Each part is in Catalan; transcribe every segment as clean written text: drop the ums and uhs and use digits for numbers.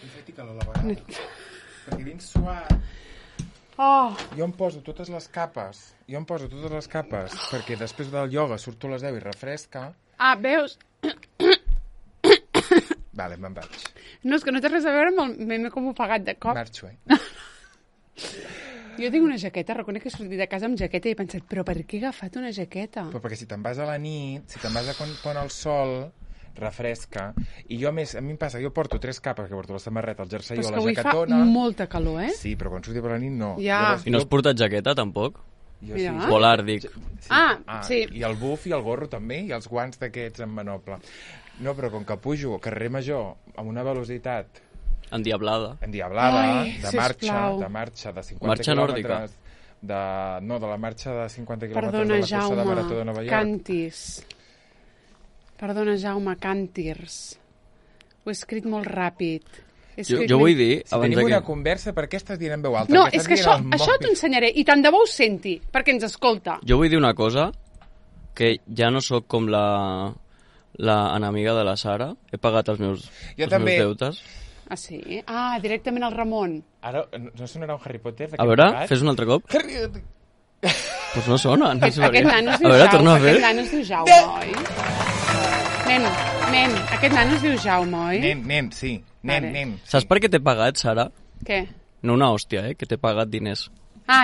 I fot-hi calor a la vegada. Perquè dins suat... Jo em poso totes les capes. Perquè després del ioga surto a les 10 i refresca. Veus? Vale, me'n vaig. No, és que no té res a veure amb el meme com ofegat de cop. Marxo, Jo tinc una jaqueta, reconec que he sortit de casa amb jaqueta i he pensat, però per què he agafat una jaqueta? Però perquè si te'n vas a la nit, si te'n vas a quan pon el sol, refresca. I jo, a més, a mi em passa, jo porto 3 capes, que porto la samarreta, el jersei o la jaquetona... Però és que avui fa molta calor, eh? Sí, però quan surti per la nit no. Ja. Llavors, I no has portat jaqueta, tampoc? Jo sí. Polar, dic. Sí. I el buf i el gorro també, i els guants d'aquests en manople. No, però com que pujo carrer Major amb una velocitat... Endiablada. De marxa de 50 marxa quilòmetres. De la marxa de 50 quilòmetres de la cursa de Marató de Nova York. Perdona, Càntirs. Ho he escrit molt ràpid. Jo vull dir... Si tenim una conversa, per què estàs dient en veu alta? No, és que això t'ho ensenyaré, i tant de bo ho senti, perquè ens escolta. Jo vull dir una cosa, que ja no sóc com la enemiga de la Sara. He pagat els meus deutes. Ah, sí? Directament al Ramon. Ara, no sonarà un Harry Potter? A veure, fes un altre cop. Pues no sona. Aquest nano es diu Jaume, oi? Nen, aquest nano es diu Jaume, oi? Nen, sí. Nen. Saps per què t'he pagat, Sara? Què? No una hòstia, que t'he pagat diners.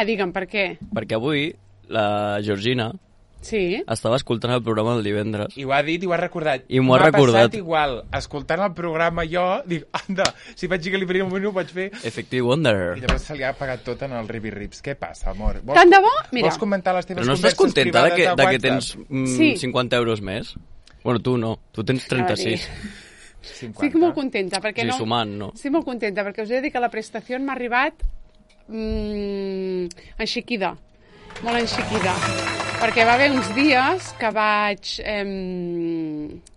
Digue'm, per què? Perquè avui la Georgina estava escoltant el programa del divendres. I ho ha dit i ho ha recordat. I m'ho ha recordat. M'ha passat igual. Escoltant el programa jo, dic, anda, si vaig dir que li faria un minut, ho vaig fer. Effective Wonder. I llavors se li ha pagat tot en el ribi-rips. Què passa, amor? Tant de bo? Mira. Vols comentar les teves converses privades de WhatsApp? Però no estàs contenta de que tens 50 euros més? Bueno, tu no. Tu tens 36. 50. Estic molt contenta, perquè sumant, no? Estic molt contenta, perquè us he de dir que la prestació m'ha arribat enxiquida. Molt enxiquida. Perquè va haver uns dies que vaig...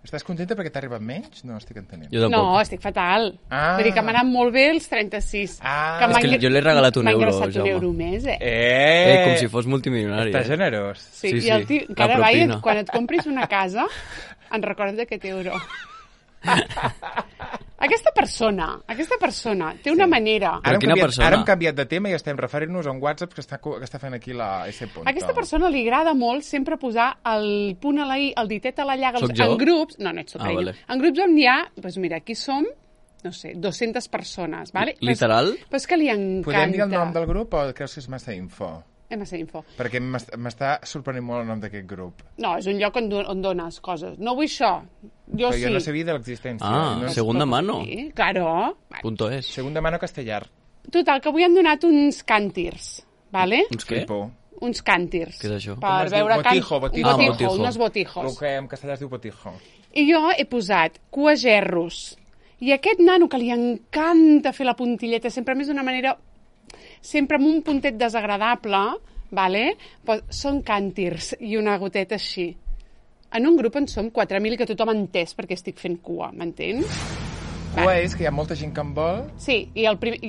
Estàs contenta perquè t'ha arribat menys? No estic entenent. No, estic fatal. Vull dir que m'ha anat molt bé els 36. És que jo l'he regalat un euro, Jaume. M'ha ingressat un euro més, com si fos multimilionari. Estàs generós. Sí, i el tio, cada vegada, quan et compris una casa, en recordes d'aquest euro. Aquesta persona té una manera... Ara hem canviat de tema i estem referint-nos a un WhatsApp que està fent aquí la S. Aquesta persona li agrada molt sempre posar el punt a la i, el ditet a la llaga en grups... No ets tu, carinyo. En grups on hi ha... Doncs mira, aquí som, no sé, 200 persones, vale? Literal? Però és que li encanta. Podem dir el nom del grup o creus que és massa info? Massa info. Perquè m'està sorprenent molt el nom d'aquest grup. No, és un lloc on dones coses. No vull això. Jo sí. Jo no sabia de l'existència. Segunda mano. Sí, claro. .es. Segunda mano castellar. Total, que avui han donat uns càntirs, vale? Uns què? Uns càntirs. Què és això? Per veure botijo. Unos botijos. El que en castellà es diu botijo. I jo he posat cuagerros. I aquest nano que li encanta fer la puntilleta, sempre més d'una manera... sempre amb un puntet desagradable, vale? Pues són càntirs i una goteta així. En un grup en som 4.000 que tothom ha entès perquè estic fent cua, m'entens? Cua és que hi ha molta gent que en vol. Sí, i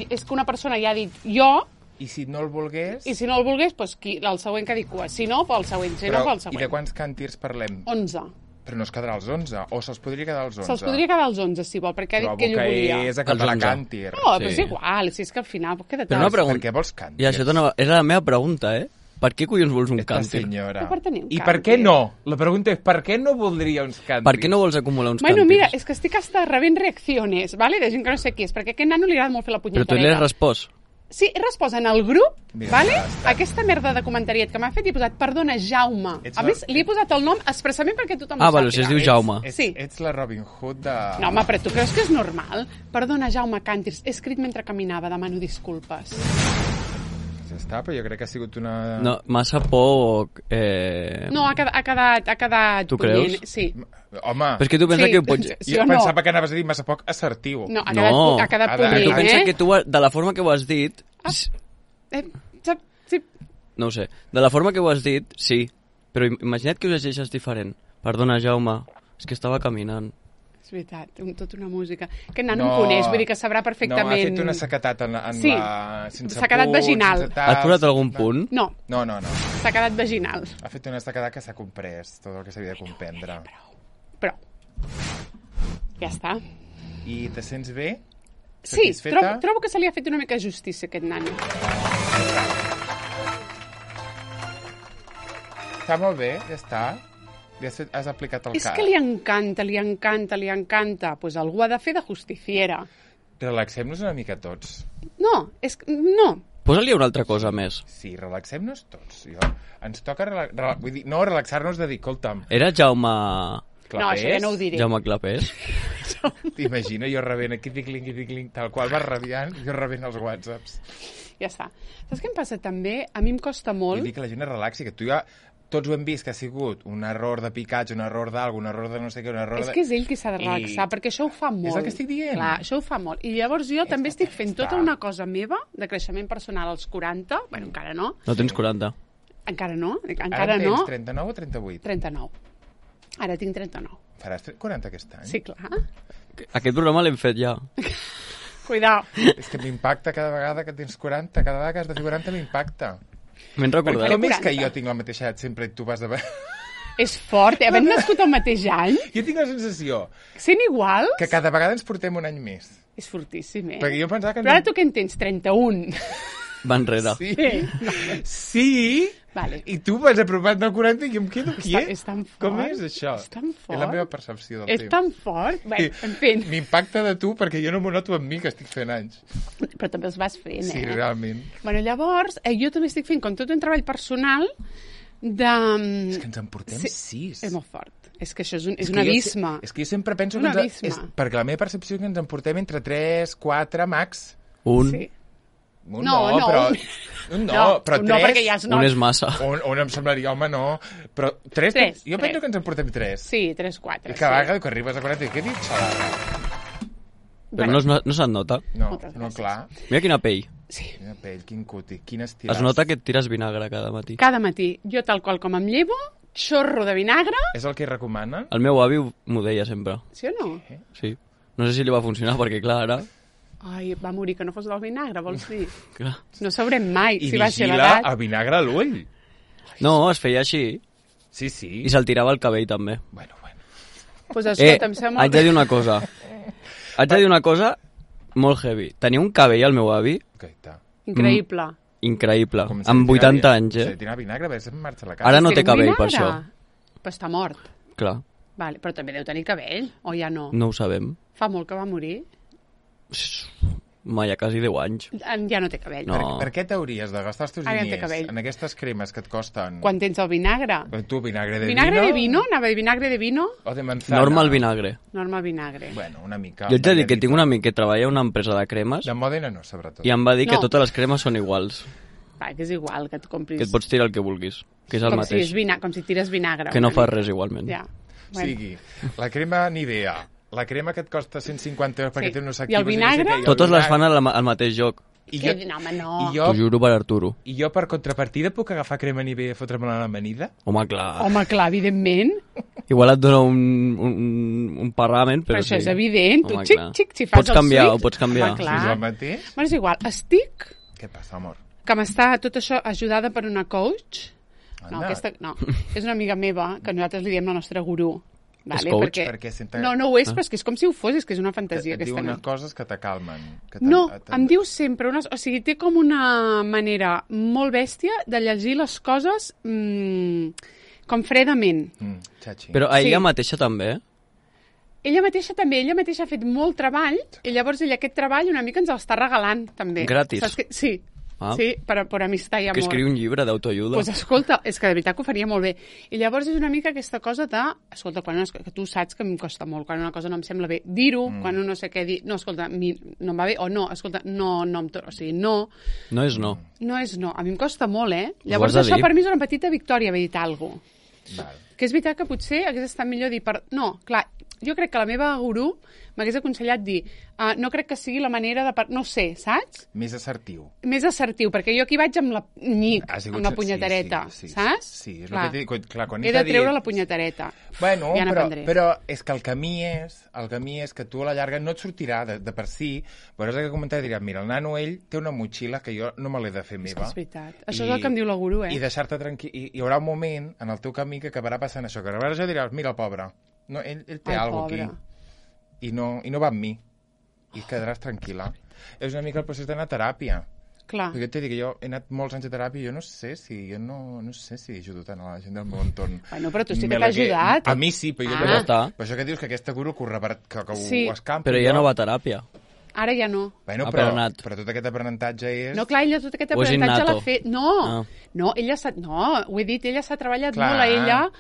és que una persona ja ha dit jo... I si no el volgués... I si no el volgués, doncs el següent que ha dit cua. Si no, pel següent. Si no, pel següent. I de quants càntirs parlem? 11. Però no es quedarà als 11, o se'ls podria quedar als 11? Se'ls podria quedar als 11, si vol, perquè ha dit que ell ho volia. Trobo que és acabar càntir. No, però és igual, si és que al final pot quedar... Però una pregunta. Per què vols càntirs? I això era la meva pregunta, Per què collons vols un càntir? I per què no? La pregunta és, per què no voldria uns càntirs? Per què no vols acumular uns càntirs? Bueno, mira, és que estic hasta rebent reacciones, ¿vale? De gent que no sé qui és, perquè a aquest nano li agrada molt fer la punyetareta. Però tu li has respost. Sí, he respost en el grup, vale? Aquesta merda de comentariet que m'ha fet i he posat, perdona, Jaume. A més, li he posat el nom expressament perquè tothom ho sàpiga. Vale, si es diu Jaume. Ets la Robin Hood de... No, home, però tu creus que és normal? Perdona, Jaume Càntirs, he escrit mentre caminava, demano disculpes. Ja està, però jo crec que ha sigut una... No, massa poc... No, ha quedat... Tu creus? Sí. Home... Però és que tu pensa que ho pots... Jo pensava que anaves a dir massa poc assertiu. No, ha quedat punyent, Tu pensa que tu, de la forma que ho has dit... Sí. No ho sé. De la forma que ho has dit, sí. Però imagina't que ho llegeixes diferent. Perdona, Jaume, és que estava caminant. És veritat, tota una música. Aquest nano em coneix, vull dir que sabrà perfectament... No, ha fet una sequetat en sí, la... sense s'ha quedat vaginal. Has posat algun punt? No. No. S'ha quedat vaginal. Ha fet una sequetat que s'ha comprès, tot el que s'havia de comprendre. Però. Ja està. I te sents bé? Sí, satisfeta? trobo que se li ha fet una mica justícia, aquest nano. Està molt bé, ja està. Ja has aplicat el És cas. que li encanta. Pues algú ha de fer de justiciera. Relaxem-nos una mica tots. No, no. Posa-li una altra cosa més. Sí, relaxem-nos tots. Ens toca vull dir, no relaxar-nos de dir, escolta'm, Era Jaume... clapés? No, això ja no ho diré. Jaume Clapés? T'imagina jo rebent aquí, tic-cling, tal qual vas rabiant, jo rebent els whatsapps. Ja està. Saps què em passa també? A mi em costa molt... Vull dir que la gent es relaxi, que tu ja... Tots ho hem vist, que ha sigut un error de picatge, un error d'algú, un error de no sé què, un error És que és ell qui s'ha de relaxar, perquè això ho fa molt. És el que estic dient. Clar, això ho fa molt. I llavors jo també estic fent tota una cosa meva de creixement personal als 40. Bueno, encara no. No tens 40. Encara no. Ara tens 39 o 38? 39. Ara tinc 39. Faràs 40 aquest any? Sí, clar. Aquest programa l'hem fet ja. Cuidao. És que m'impacta cada vegada que tens 40, cada vegada que has de fer 40 m'impacta. M'hem recordat. Com és que jo tinc la mateixa edat sempre i tu vas de... És fort, havent nascut el mateix any, Jo tinc la sensació sent igual, que cada vegada ens portem un any més. és fortíssim, eh? Perquè jo pensava que... Però ara tu què en tens? 31. Va enrere. Sí. Sí. Sí. Vale. I tu vas apropant del 40 i jo em quedo aquí, És tan fort. Com és això? És tan fort. És la meva percepció del És temps. tan fort. Bé, en fi. M'impacta de tu perquè jo no m'ho noto amb mi, que estic fent anys. Però també els vas fent, Sí, eh? realment. Bueno, llavors, jo també estic fent com tot un treball personal de... És que ens en portem 6. És molt fort. És que això és un abisme. És que jo sempre penso Un que abisme. perquè la meva percepció és que ens en portem entre 3, 4, max. Un. Sí. Un No, no, però... un- Un però no, 3... perquè ja es Un nota. és massa. Un em semblaria, home, no. Però 3, Tres, jo tres. penso que ens en portem 3. Sí, 3, 4. I cada vegada que arribes a 40, què he dit? Xalada. Però no se't nota. No, Moltes no, gràcies. clar. Mira quina pell. Sí. Quina pell, quin cuti, quin estiràs. Es nota que et tires vinagre cada matí. Cada matí, jo tal qual com em llevo, xorro de vinagre, És el que recomana? El meu avi m'ho deia sempre. sí o no? Sí. No sé si li va funcionar, perquè clar, ara... Ai, va morir que no fos del vinagre, vols dir? Clar. No sabrem mai I si va ser vigila l'edat. el vinagre a l'ull. No, es feia així. Sí, sí. I se'l tirava el cabell, també. Bueno. Pues escolta, em sembla haig de dir una cosa. Haig de dir una cosa molt heavy. Tenia un cabell, al meu avi, Gaita. increïble. increïble. Com si Amb li tira 80 anys, Se eh? li tira vinagre, a veure si em marxa la cara. Ara no Si té era un cabell, per vinagre. això. Però està mort. Clar, Vale, però també deu tenir cabell, o ja no? no ho sabem. Fa molt que va morir. Ma, ja quasi 10 anys. Ja no té cabell. No. Per què t'hauries de gastar els teus Ara ja té diners cabell. en aquestes cremes que et costen? Quan tens el vinagre. Tu, vinagre de Vinagre vino? de vino? Anava de vinagre de vino? O de manzana? Normal vinagre. Normal vinagre. Bueno, una mica. Jo haig de dir que tinc un amic que treballa a una empresa de cremes De Mòdena no, sobretot. i em va dir que No. totes les cremes són iguals. Va, que és igual que et compris... Que et pots tirar el que vulguis. Que és el com si, mateix. com si tires vinagre. Ah, Que no una fa mica. res igualment. Ja. O sigui, la crema Nivea, la crema que et costa 150 euros perquè Sí. té unos I el actius... vinagre? No sé què, i el Totes les vinagre. fan al mateix lloc. I Que, no, home, no. I T'ho jo, juro per Arturo. I jo, per contrapartida, puc agafar crema Nivea i fotre-me-la a l'amanida? Home, clar. Home, clar, evidentment. Igual et dona un parlament, però Però això sí. és evident. Tu, Home, xic, clar. xic, si fas Pots el canviar, switch... ho pots canviar. Home, Si clar. és el mateix? Bueno, és igual. Estic, Què passa, amor? que m'està tot això ajudada per una coach. No, Anda. no. És una amiga meva, que nosaltres li diem la nostra gurú. Vale? coach? Perquè senta- No, no ho és, però és que és com si ho fos, és que és una fantasia Et diu aquesta unes nena. coses que t'acalmen. No, em diu sempre unes... O sigui, té com una manera molt bèstia de llegir les coses com fredament. Xachi. Però a ella Sí. mateixa també, eh? Ella mateixa també, ella mateixa ha fet molt treball i llavors ella aquest treball una mica ens l'està regalant també. Gratis? Saps que... Sí, Ah. sí, per amistat i amor. Que escriu un llibre d'autoajuda. Pues escolta, és que de veritat que ho faria molt bé. I llavors és una mica aquesta cosa de... Escolta, que tu saps que em costa molt, quan una cosa no em sembla bé, dir-ho, quan un no sé què dir... No, escolta, no em va bé, o no, escolta, no em... O sigui, no, No és no. no és no. A mi em costa molt, eh? Ho Llavors has de això dir. per mi és una petita victòria, haver dit alguna cosa. Val. Que és veritat que potser hagués estat millor dir... No, clar, jo crec que la meva gurú m'hagués aconsellat dir no crec que sigui la manera de... No ho sé, saps? Més assertiu. Més assertiu, perquè jo aquí vaig amb la nyic, Ha sigut- amb la punyetareta, sí, sí, saps? sí, és el clar. que t'he dit. Clar, quan He de dit- treure la punyetareta. Bueno, ja però és que el camí és que tu a la llarga no et sortirà de per si, veuràs que comentar i diràs, mira, el nano ell té una motxilla que jo no me l'he de fer És que meva. és veritat. Això és el que em diu la gurú, eh? I deixar-te tranquil. I hi haurà un moment en el teu camí que acabarà passant això, que llavors ja diràs, mira el pobre, no, ell té Ai, alguna pobre. aquí i no va amb mi. i quedaràs tranquil·la. És una mica el procés d'anar a teràpia. Clar. Perquè t'he dit que jo he anat molts anys a teràpia i jo no sé si ajudo tant a la gent del meu entorn. Bueno, però tu sí que t'ha ajudat. A mi sí, però jo per això que dius que aquesta guru que ho escampa. Però ja no va a teràpia. Ara ja no. Bueno, però tot aquest aprenentatge és... No, clar, ella tot aquest aprenentatge l'ha fet... No, ella s'ha... No, ho he dit, ella s'ha treballat molt a ella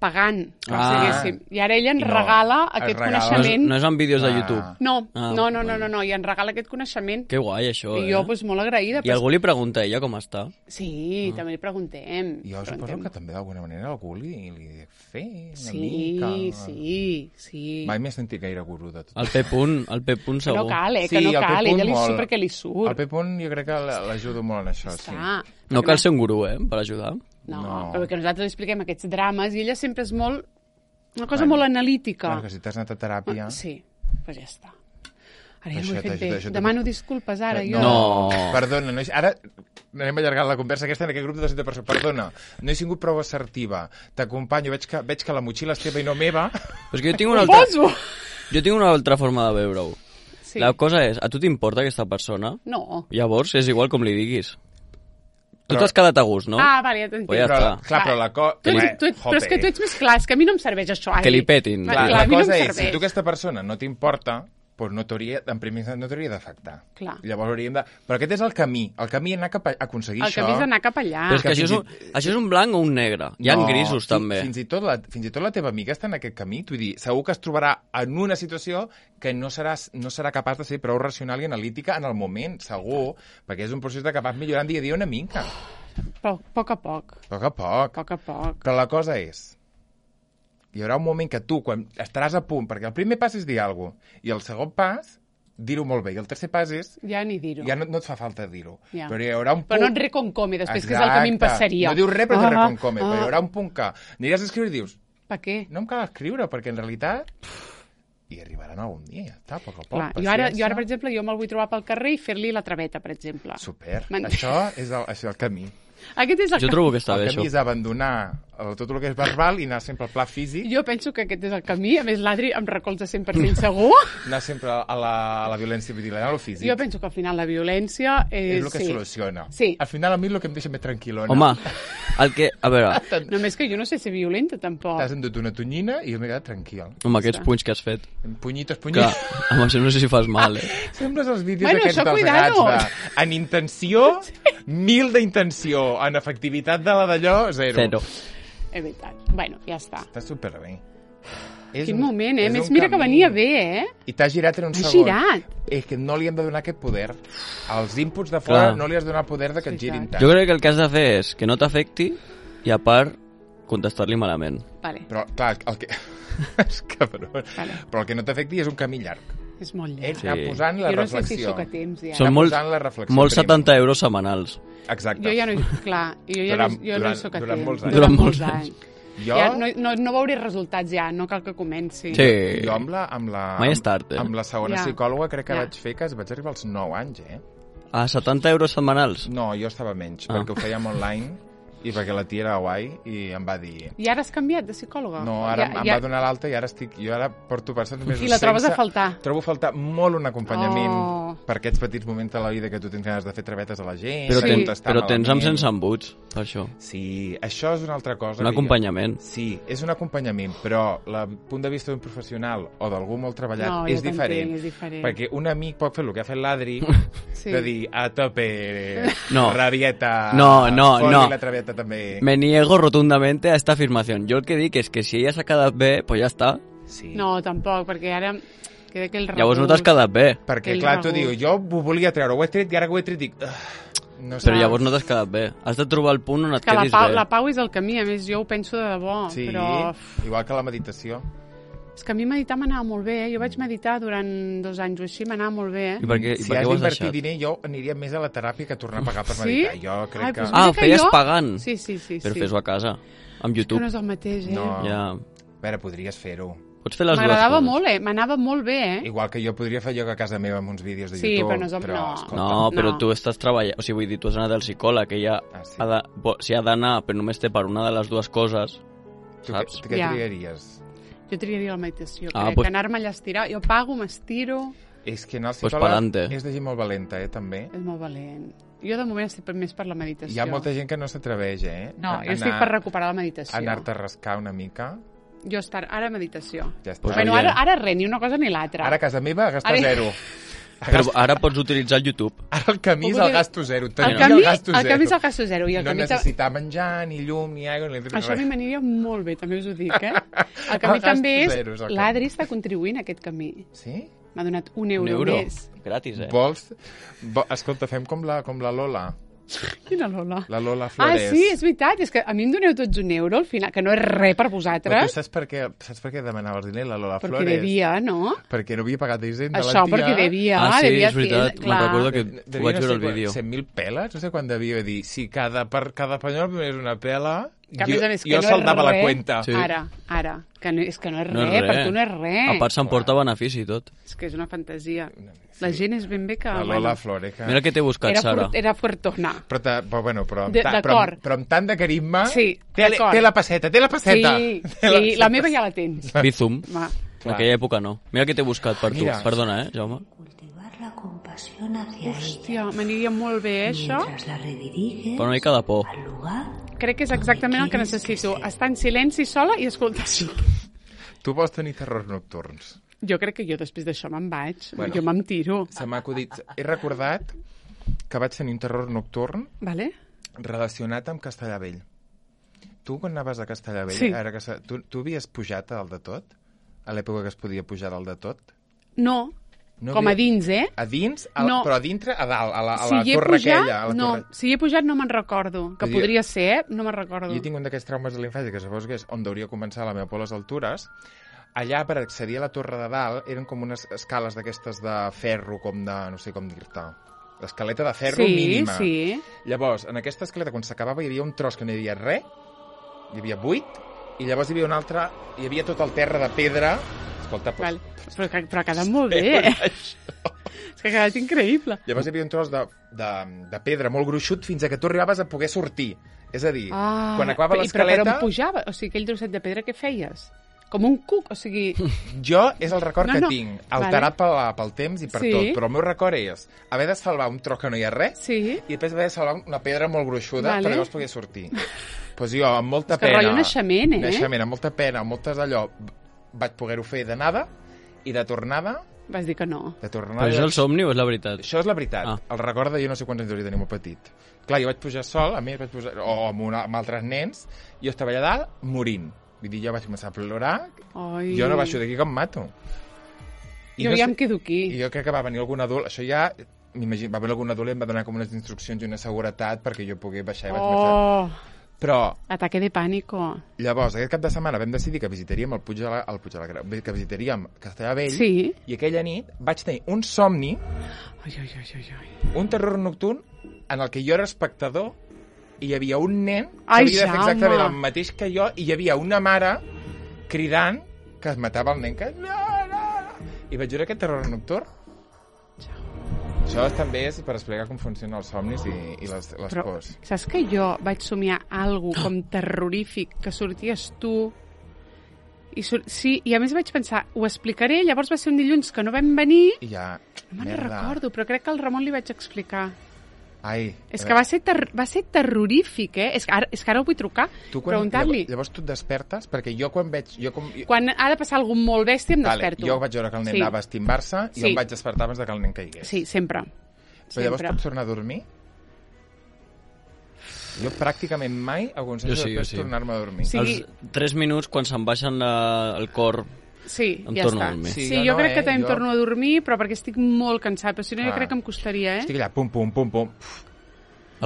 pagant, com diguéssim. I ara ella ens regala aquest coneixement. No és en vídeos de YouTube? No, i ens regala aquest coneixement. Que guai, això, I jo, doncs, molt agraïda. I algú li pregunta a ella com està? Sí, també li preguntem. Jo suposo que també d'alguna manera algú li dec fer una mica. Sí. Mai m'he sentit gaire gurú de tot. El P. segur. Que no cal, ella li surt perquè li surt. El P. jo crec que l'ajudo molt en això, sí. No cal ser un gurú, per ajudar. No, però que nosaltres li expliquem aquests drames i ella sempre és molt... Una cosa molt analítica. Bueno, que si t'has anat a teràpia... Sí, doncs ja està. Ara ja no ho he fet bé. Demano disculpes, ara, jo. No, perdona, ara anem allargant la conversa aquesta en aquest grup de 200 persones. Perdona, no he sigut prou assertiva. T'acompanyo, veig que la motxilla és teva i no meva. Però és que jo tinc una altra forma de veure-ho. Sí. La cosa és, a tu t'importa aquesta persona? No. Llavors és igual com li diguis. Tu t'has quedat a gust, no? Vale, ja t'entenc. Però la cosa... Però és que tu ets més clar, és que a mi no em serveix això. Que li petin. La cosa és, si tu aquesta persona no t'importa, doncs en primer lloc no t'hauria d'afectar. Llavors hauríem de... Però aquest és el camí. El camí és anar cap a aconseguir això. El camí és anar cap allà. Però és que això és un blanc o un negre. Hi ha grisos, també. Fins i tot la teva amiga està en aquest camí. T'ho dir, segur que es trobarà en una situació que no serà capaç de ser prou racional i analítica en el moment, segur, perquè és un procés de que vas millorant dia a dia una mica. Però a poc a poc. A poc a poc. Però la cosa és... Hi haurà un moment que tu, quan estaràs a punt, perquè el primer pas és dir alguna cosa, i el segon pas, dir-ho molt bé, i el tercer pas és... Ja ni dir-ho. Ja no et fa falta dir-ho. Ja. Però hi haurà un punt... Però no et reconcome, després, que és el que a mi em passaria. No dius res, però et reconcome. Però hi haurà un punt que aniràs a escriure i dius... Per què? No em cal escriure, perquè en realitat... I arribaran algun dia, ja està, a poc a poc. Clar, jo ara, per exemple, jo me'l vull trobar pel carrer i fer-li la traveta, per exemple. Super. Això és el camí. Aquest és jo trobo que està bé, això. El camí és abandonar tot el que és verbal i anar sempre al pla físic. Jo penso que aquest és el camí. A més, l'Adri em recolza 100% segur. Anar sempre a la violència, vull dir, anar a lo físic. Jo penso que al final la violència és el que soluciona. Sí. Al final a mi el que em deixa més tranquil·lona. Home, a veure... Només que jo no sé ser violenta, tampoc. T'has endut una tonyina i jo m'he quedat tranquil. Amb aquests punys que has fet. Punyitos. Clar, amb això no sé si fas mal, Sembles els vídeos aquests dels gats en intenció, 1000 d'intenció, en efectivitat de la d'allò, 0. És veritat. Bueno, ja està. Està superbé. Quin moment, Més mira que venia bé, I t'ha girat en un segon. Girat. És que no li hem de donar aquest poder. Als inputs de fora no li has de donar el poder de que et girin tant. Jo crec que el que has de fer és que no t'afecti i, a part, contestar-li malament. Vale. Però, clar, el que... és cabrón. Vale. Però el que no t'afecti és un camí llarg. És molt llarg. Anar posant la reflexió. Jo no sé si sóc a temps, ja. Són molts 70 euros setmanals. Exacte. Jo ja no... Clar, jo no hi soc a temps. Durant molts anys. Jo... Ja, no veuré resultats ja, no cal que comenci. Sí. Jo amb la segona psicòloga crec que vaig fer que vaig arribar als 9 anys, A 70 euros setmanals? No, jo estava menys, perquè ho fèiem online i perquè la tia era guai i em va dir... I ara has canviat de psicòloga? No, ara em va donar l'alta i ara jo ara porto bastants mesos sense... I la trobes a faltar? Trobo a faltar molt un acompanyament per aquests petits moments de la vida que tu tens ganes de fer travetes a la gent. Però tens amb sense embuts, per això. Sí, això és una altra cosa. Un acompanyament. Sí, és un acompanyament, però el punt de vista d'un professional o d'algú molt treballat és diferent. Perquè un amic pot fer el que ha fet l'Adri, de dir, a tope, rabieta, la traveta també. Me niego rotundamente a esta afirmación. Yo el que dic és que si ella s'ha quedat bé, pues ja està. Sí. No, tampoc, perquè ara queda que el regust... Llavors no t'has quedat bé. Perquè, clar, tu dius, jo ho volia treure, ho he tret i ara que ho he tret dic... No però llavors no t'has quedat bé. Has de trobar el punt on et quedis bé. La pau és el camí, a més jo ho penso de debò. Sí, però... igual que la meditació. És que a mi meditar m'anava molt bé, Jo vaig meditar durant 2 anys o així, m'anava molt bé, I per què has d'invertir diner, jo aniria més a la teràpia que tornar a pagar per meditar. Jo crec que... feies pagant? Sí. Però fes-ho a casa, amb YouTube. És que no és el mateix, No. Ja. A veure, podries fer-ho. Pots fer les dues coses. M'agradava molt, m'anava molt bé, Igual que jo podria fer lloc a casa meva amb uns vídeos de YouTube. Sí, però no és però tu estàs treballant... O sigui, vull dir, tu has anat al psicòleg, que ella si ha d'anar, però només té per una de les dues coses, saps? Tu què triaries? Jo triaria la meditació, que anar-me allà a estirar. Jo pago, m'estiro... És que anar al psicòleg és de gent molt valenta, també. És molt valent. Jo, de moment, estic més per la meditació. Hi ha molta gent que no s'atreveix, No, jo estic per recuperar la meditació. Anar-te a rascar una mica. Jo ara meditació. Ja està. Bueno, ara res, ni una cosa ni l'altra. Ara a casa meva gastar zero. Però ara pots utilitzar el YouTube. Ara el camí és el gasto zero. El camí és el gasto zero. No necessitar menjar, ni llum, ni aigua, ni res. Això a mi m'aniria molt bé, també us ho dic, El camí també és... L'Adri està contribuint a aquest camí. Sí? M'ha donat €1 més. Gratis, Vols? Escolta, fem com la Lola. Quina Lola? La Lola Flores. Sí, és veritat. És que a mi em doneu tots €1 al final, que no és res per vosaltres. Però tu saps per què demanaves diner, la Lola Flores? Perquè devia, no? Perquè no havia pagat Hisenda, la tia. Això, perquè devia. Sí, és veritat. Me'n recordo que ho vaig veure al vídeo. 100.000 peles? No sé quan devia dir. Si cada penyol és una pela... Que a més a més, que jo saldava la cuenta. Sí. Ara, que no és res, per tu no és res. A part s'emporta benefici i tot. És que és una fantasia. La gent és ben bé que... La Lola Flores. Mira què t'he buscat, Sara. Era fuertona. Però amb tant de carisma... Sí, té la passeta, Sí, la meva ja la tens. Bizum. En aquella època no. Mira què t'he buscat per tu. Perdona, Jaume. La compasión hacia Hòstia, m'aniria molt bé, això. Però una mica de por. Crec que és exactament el que necessito. Estar en silenci sola i escoltar això. Tu vols tenir terrors nocturns? Jo crec que jo després d'això me'n vaig. Jo me'n tiro. Se m'ha acudit. He recordat que vaig tenir un terror nocturn relacionat amb Castellavell. Tu, quan anaves a Castellavell, tu havies pujat al de tot? A l'època que es podia pujar al de tot? No. Com a dins, A dins? Però a dintre, a dalt, a la torre aquella. No, si hi he pujat no me'n recordo. Que podria ser, no me'n recordo. Jo tinc un d'aquests traumes de l'infància, que suposo que és on hauria començar la meva por a les altures. Allà, per accedir a la torre de dalt, eren com unes escales d'aquestes de ferro, com de... no sé com dir-te. L'escaleta de ferro mínima. Sí. Llavors, en aquesta escaleta, quan s'acabava, hi havia un tros que no hi havia res, hi havia buit, i llavors hi havia un altre... hi havia tot el terra de pedra. Escolta, però ha quedat molt bé, És que ha quedat increïble. Llavors hi havia un tros de pedra molt gruixut fins a que tu arribaves a poder sortir. És a dir, quan acabava l'escaleta... Però per on pujava? O sigui, aquell trosset de pedra, què feies? Com un cuc, o sigui... Jo és el record que tinc, alterat pel temps i per tot, però el meu record és haver de salvar un tros que no hi ha res i després haver de salvar una pedra molt gruixuda per llavors poder sortir. Doncs jo, amb molta pena... És que naixement, Naixement, amb molta pena, amb moltes d'allò... vaig poder-ho fer d'anada i de tornada... Vas dir que no. Però és el somni o és la veritat? Això és la veritat. El record de jo no sé quants anys hauria de tenir molt petit. Clar, jo vaig pujar sol, a mi vaig pujar... o amb altres nens, jo estava allà dalt morint. Vull dir, jo vaig començar a plorar, jo no baixo d'aquí que em mato. Jo ja em quedo aquí. I jo crec que va venir algun adult, això ja... m'imagino, va venir algun adult i em va donar com unes instruccions i una seguretat perquè jo pogués baixar i vaig començar... Però... Ataque de pànico. Llavors, aquest cap de setmana vam decidir que visitaríem el Puig de la Creu, que visitaríem Castellavell, i aquella nit vaig tenir un somni, un terror nocturn, en el que jo era espectador i hi havia un nen que havia de fer exactament el mateix que jo i hi havia una mare cridant que es matava el nen que... I vaig veure aquest terror nocturn. Això també és per explicar com funcionen els somnis i les pors. Saps que jo vaig somiar alguna com terrorífic, que sorties tu... I a més vaig pensar, ho explicaré, llavors va ser un dilluns que no vam venir... I ja... No me'n recordo, però crec que al Ramon li vaig explicar. És que va ser terrorífic, És que ara ho vull trucar, preguntar-li. Llavors tu et despertes, perquè jo quan veig... Quan ha de passar alguna molt bèstia em desperto. Jo vaig veure que el nen anava a estimbar-se i em vaig despertar abans que el nen caigués. Sí, sempre. Però llavors pots tornar a dormir? Jo pràcticament mai aconsello després tornar-me a dormir. Els 3 minuts, quan se'm baixen el cor... Sí, ja està. Jo crec que també em torno a dormir, però perquè estic molt cansat, però si no jo crec que em costaria, Estic allà, pum, pum, pum, pum.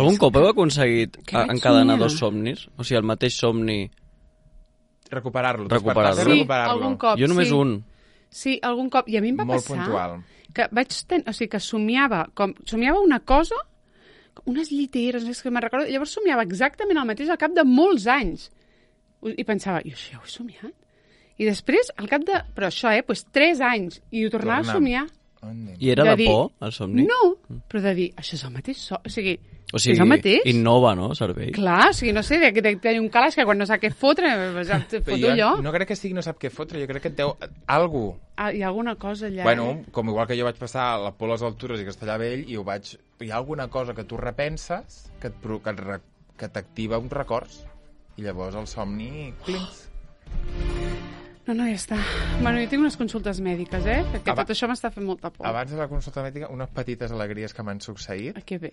Algun cop heu aconseguit encadenar 2 somnis? O sigui, el mateix somni... Recuperar-lo. Sí, algun cop, jo només un. Sí, algun cop. I a mi em va passar... Molt puntual. Que somiava una cosa, unes lliteres, és que me'n recordo, llavors somiava exactament el mateix al cap de molts anys. I pensava, jo això ho he somiat? I després, al cap de... Però això, doncs 3 anys. I ho tornava a somiar. I era de por, el somni? No, però de dir, això és el mateix somni. O sigui, O sigui, és el mateix. Innova, no, servei? Clar, o sigui, no sé, que té un calaix que quan no sap què fotre, foto jo. No crec que sigui no sap què fotre, jo crec que et deu algú. Hi ha alguna cosa allà, Bueno, com igual que jo vaig passar a la Pobles Altures i Castellavell i hi ha alguna cosa que tu repenses que t'activa uns records i llavors el somni clincs. No, ja està. Bueno, jo tinc unes consultes mèdiques, perquè tot això m'està fent molta por. Abans de la consulta mèdica, unes petites alegries que m'han succeït. Que bé,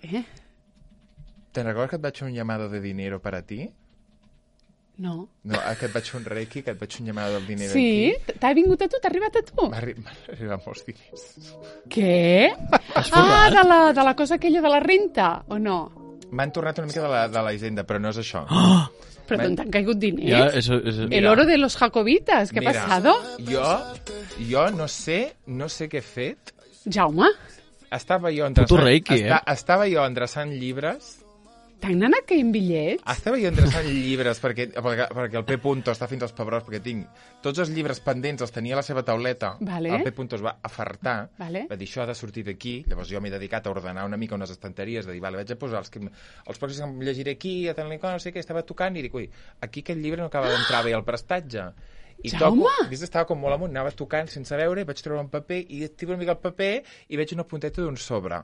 Te'n recordes que et vaig fer un llamado de dinero per a ti? No. No, que et vaig fer un reiki, que et vaig fer un llamado del dinero aquí. Sí? T'ha vingut a tu? T'ha arribat a tu? M'ha arribat molts diners. Què? De la cosa aquella de la renta, o no? M'han tornat una mica de la hisenda, però no és això. Però d'on t'han caigut diners? Ja, eso. El oro de los jacobitas, ¿qué ha pasado? Jo no sé què he fet. Jaume? Estava jo endreçant llibres. T'han anat caient bitllets? Estava jo endreçant llibres perquè el P. està fins als pebrots, perquè tinc tots els llibres pendents, els tenia a la seva tauleta. Vale. El P. es va afartar, vale. Va dir, això ha de sortir d'aquí. Llavors jo m'he dedicat a ordenar una mica unes estanteries, de dir, vale, vaig a posar els pròxims que em llegiré aquí, a tant no sé què, estava tocant, i dic, ui, aquí aquest llibre no acaba d'entrar bé al prestatge. I estava com molt amunt, anava tocant sense veure, vaig treure un paper, i activo una mica el paper, i veig una punteta d'un sobre.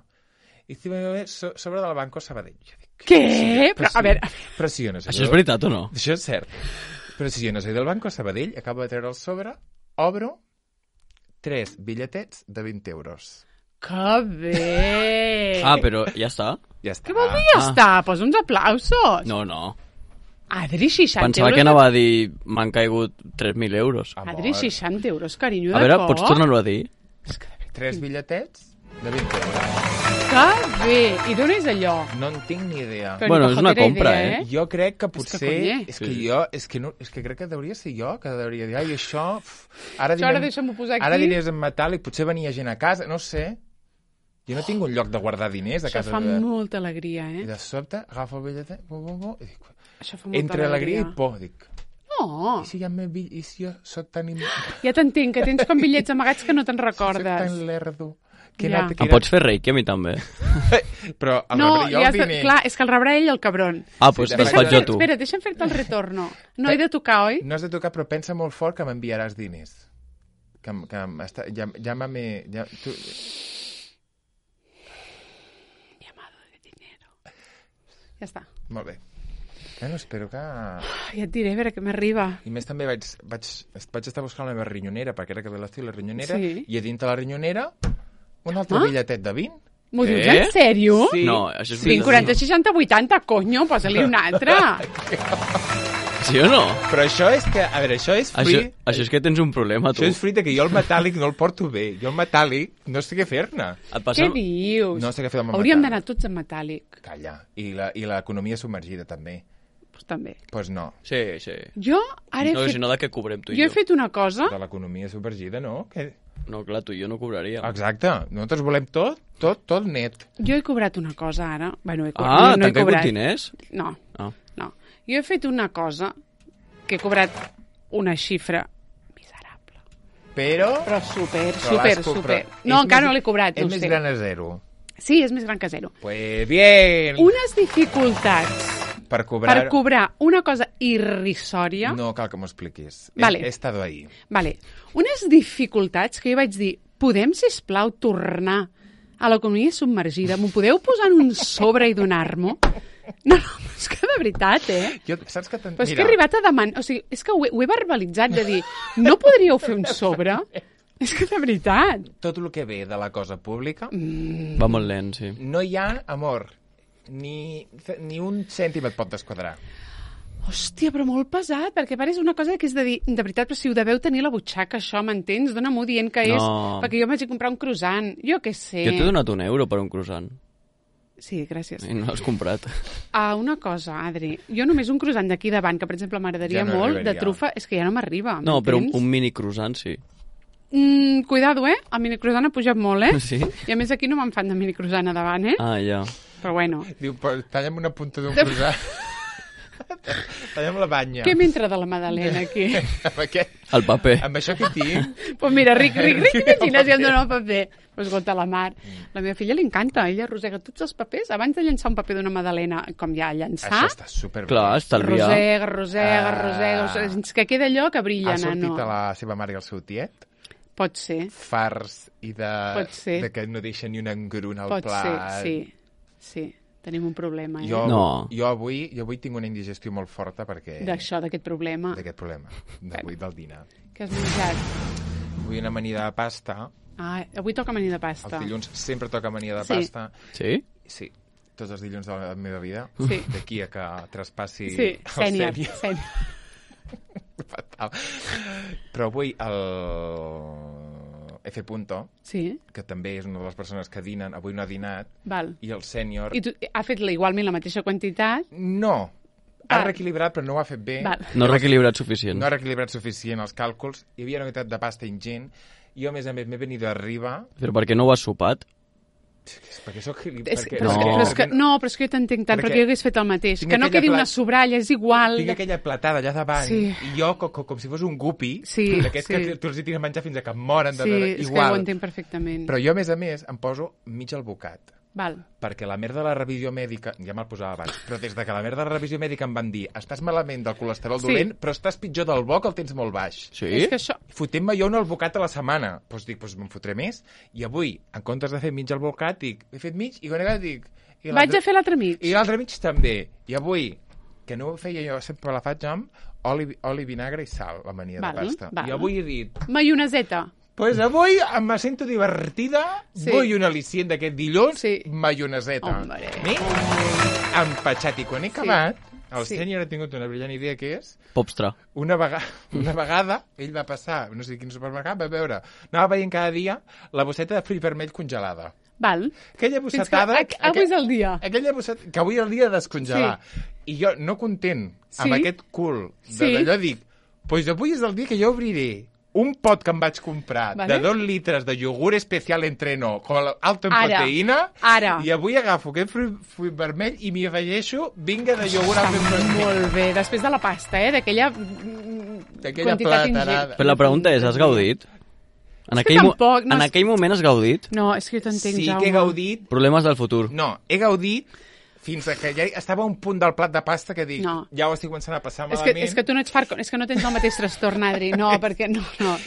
I sobre del Banco Sabadell. Què? Però, a veure... Però si jo no sé... Això és veritat o no? Això és cert. Però si jo no sé del Banco Sabadell, acabo de treure el sobre, obro 3 bitlletets de 20 euros. Que bé! Però ja està? Ja està. Què vol dir ja està? Posa uns aplausos. No. Adri, 60 Pensava que anava a dir m'han caigut 3.000 euros. Adri, 60 euros, carinyo, de cop. A veure, pots tornar-ho a dir? 3 bitlletets de 20 euros. Que bé! I d'on és allò? No en tinc ni idea. Bueno, és una compra, Jo crec que potser... És que crec que hauria ser jo, que hauria dir, ai, això... Ara deixa'm-ho posar aquí. Ara diners en metàl·lic, potser venia gent a casa, no sé. Jo no tinc un lloc de guardar diners a casa. Això fa molta alegria, I de sobte agafo el bitllet, i dic... Això fa molta entre alegria i por, dic... No. I si jo soc tan... Ja t'entenc, que tens com bitllets amagats que no te'n recordes. Soc tan lerdo. Em pots fer reiki a mi també? Però el rebré jo els diners. Clar, és que el rebrà ell el cabron. Doncs te'ls faig jo tu. Espera, deixa'm fer-te el retorno. No he de tocar, oi? No has de tocar, però pensa molt fort que m'enviaràs diners. Llámame... Llamado de dinero. Ja està. Molt bé. Bueno, espero que... Ja et diré, a veure què m'arriba. I més també vaig estar buscant la meva rinyonera, perquè era que ve l'estiu la rinyonera, i a dintre la rinyonera un altre bitlletet de 20. M'ho dius en sèrio? Sí. No, això és 20, 40, 60, 80, conyo, posa-li un altre. Sí o no? Però això és que... A veure, això és fruit... Això és que tens un problema, tu. Això és fruit que jo el metàl·lic no el porto bé. Jo el metàl·lic no sé què fer-ne. Què dius? No sé què fer amb el Hauríem d'anar tots en metàl·lic. Calla. I l'economia submergida, també. Pues també. Pues no. Sí. Jo ara he fet... Si no, de què cobrem tu i jo? Jo he fet una cosa... De l'economia submergida, no? No, clar, tu i jo no cobraríem. Exacte. Nosaltres volem tot net. Jo he cobrat una cosa ara. Bueno, t'han caigut diners? No. Jo he fet una cosa que he cobrat una xifra miserable. Però super. No, encara no l'he cobrat. És més gran a 0. Sí, és més gran que 0. Pues bien. Unes dificultats per cobrar una cosa irrisòria. No cal que m'ho expliquis. Vale. He estado ahí. Vale. Unes dificultats que jo vaig dir, podem, sisplau, tornar a l'economia submergida? M'ho podeu posar en un sobre i donar-m'ho? No, és que de veritat, Saps que però és que he arribat a demanar... O sigui, és que ho he verbalitzat de dir, no podríeu fer un sobre? És que de veritat. Tot el que ve de la cosa pública... Va molt lent, sí. No hi ha amor. Ni un cèntim et pot desquadrar. Hòstia, però molt pesat, perquè pareix una cosa que és de dir, de veritat, però si ho deveu tenir a la butxaca, això, m'entens? Dóna-m'ho dient que és... Perquè jo m'haig de comprar un croissant, jo què sé. Jo t'he donat €1 per un croissant. Sí, gràcies. I no l'has comprat. Una cosa, Adri, jo només un croissant d'aquí davant, que per exemple m'agradaria molt, de trufa, és que ja no m'arriba. No, però un mini croissant sí. Cuidado, el mini croissant ha pujat molt, Sí? I a més aquí no me'n fan de mini croissant a davant, Ah, ja. Però bueno. Diu, talla'm una punta d'un croissant. Tallem la banya. Què m'entra de la Madalena, aquí? El paper. Amb això que tinc... Pues mira, ric, imagina si em dona el paper. Pues gota la mar. La meva filla li encanta, ella arrossega tots els papers. Abans de llançar un paper d'una Madalena, com ja llançar... Això està superbé. Clar, estalviar. Arrossega. Fins que queda allò que brilla, nano. Ha sortit no. a la seva mare i el seu tiet? Pot ser. Fars i de que no deixa ni un engrun al plat. Pot ser, sí. Tenim un problema, eh? Jo avui tinc una indigestió molt forta perquè... D'aquest problema. D'avui del dinar. Què has menjat? Avui una amanida de pasta. Avui toca amanida de pasta. Els dilluns sempre toca amanida de pasta. Sí? Sí. Tots els dilluns de la meva vida. Sí. D'aquí a que traspassi el sènior. Fatal. Però avui el F. que també és una de les persones que dinen, avui no ha dinat, i el sènior... I ha fet igualment la mateixa quantitat? No, ha reequilibrat, però no ho ha fet bé. No ha reequilibrat suficient. No ha reequilibrat suficient els càlculs. Hi havia una quantitat de pasta ingent. Jo, a més, m'he venit d'arriba... Però per què no ho has sopat? Perquè soc... Però és que jo t'entenc tant, perquè jo hagués fet el mateix. Que no quedi una sobralla, és igual. Tinc aquella platada allà davant, i jo, com si fos un gupi, d'aquests que tu els hi tires a menjar fins a que moren. Sí, és que ho entenc perfectament. Però jo, a més, em poso mig al bocat. Val. Perquè la merda de la revisió mèdica, ja me'l posava abans, però des de que la merda de la revisió mèdica em van dir estàs malament del colesterol dolent, però estàs pitjor del bo que el tens molt baix. Sí? És que això... Fotent-me jo un albocat a la setmana. Doncs dic, me'n fotré més. I avui, en comptes de fer mig albocat, dic, he fet mig, i quan he dic... Vaig a fer l'altre mig. I l'altre mig també. I avui, que no ho feia jo, sempre la faig amb oli, vinagre i sal, l'amanida de pasta. I avui he dit... Maioneseta. Pues avui em sento divertida, vull un al·licient d'aquest dilluns, maioneseta. Empatxat. I quan he acabat, el sènior ha tingut una brillant idea que és... Popstra. Una vegada, ell va passar, no sé quin supermercat, va veure, anava veient cada dia la bosseta de fruit vermell congelada. Val. Aquella bossetada... Avui és el dia. Aquella bosseta, que avui és el dia de descongelar. I jo, no content amb aquest cul d'allò, dic, pues avui és el dia que jo obriré un pot que em vaig comprar de 2 litres de iogurt especial entreno com alto en proteïna i avui agafo aquest fruit vermell i m'hi afegeixo vinga de iogurt alto en proteïna. Molt bé, després de la pasta, d'aquella quantitat ingent. Però la pregunta és, has gaudit? En aquell moment has gaudit? No, és que jo t'entenc, Jaume. Sí que he gaudit. Problemes del futur. No, he gaudit fins que ja estava a un punt del plat de pasta que dic, ja ho estic començant a passar malament. És que tu no ets és que no tens el mateix trastorn, Adri. No, perquè no.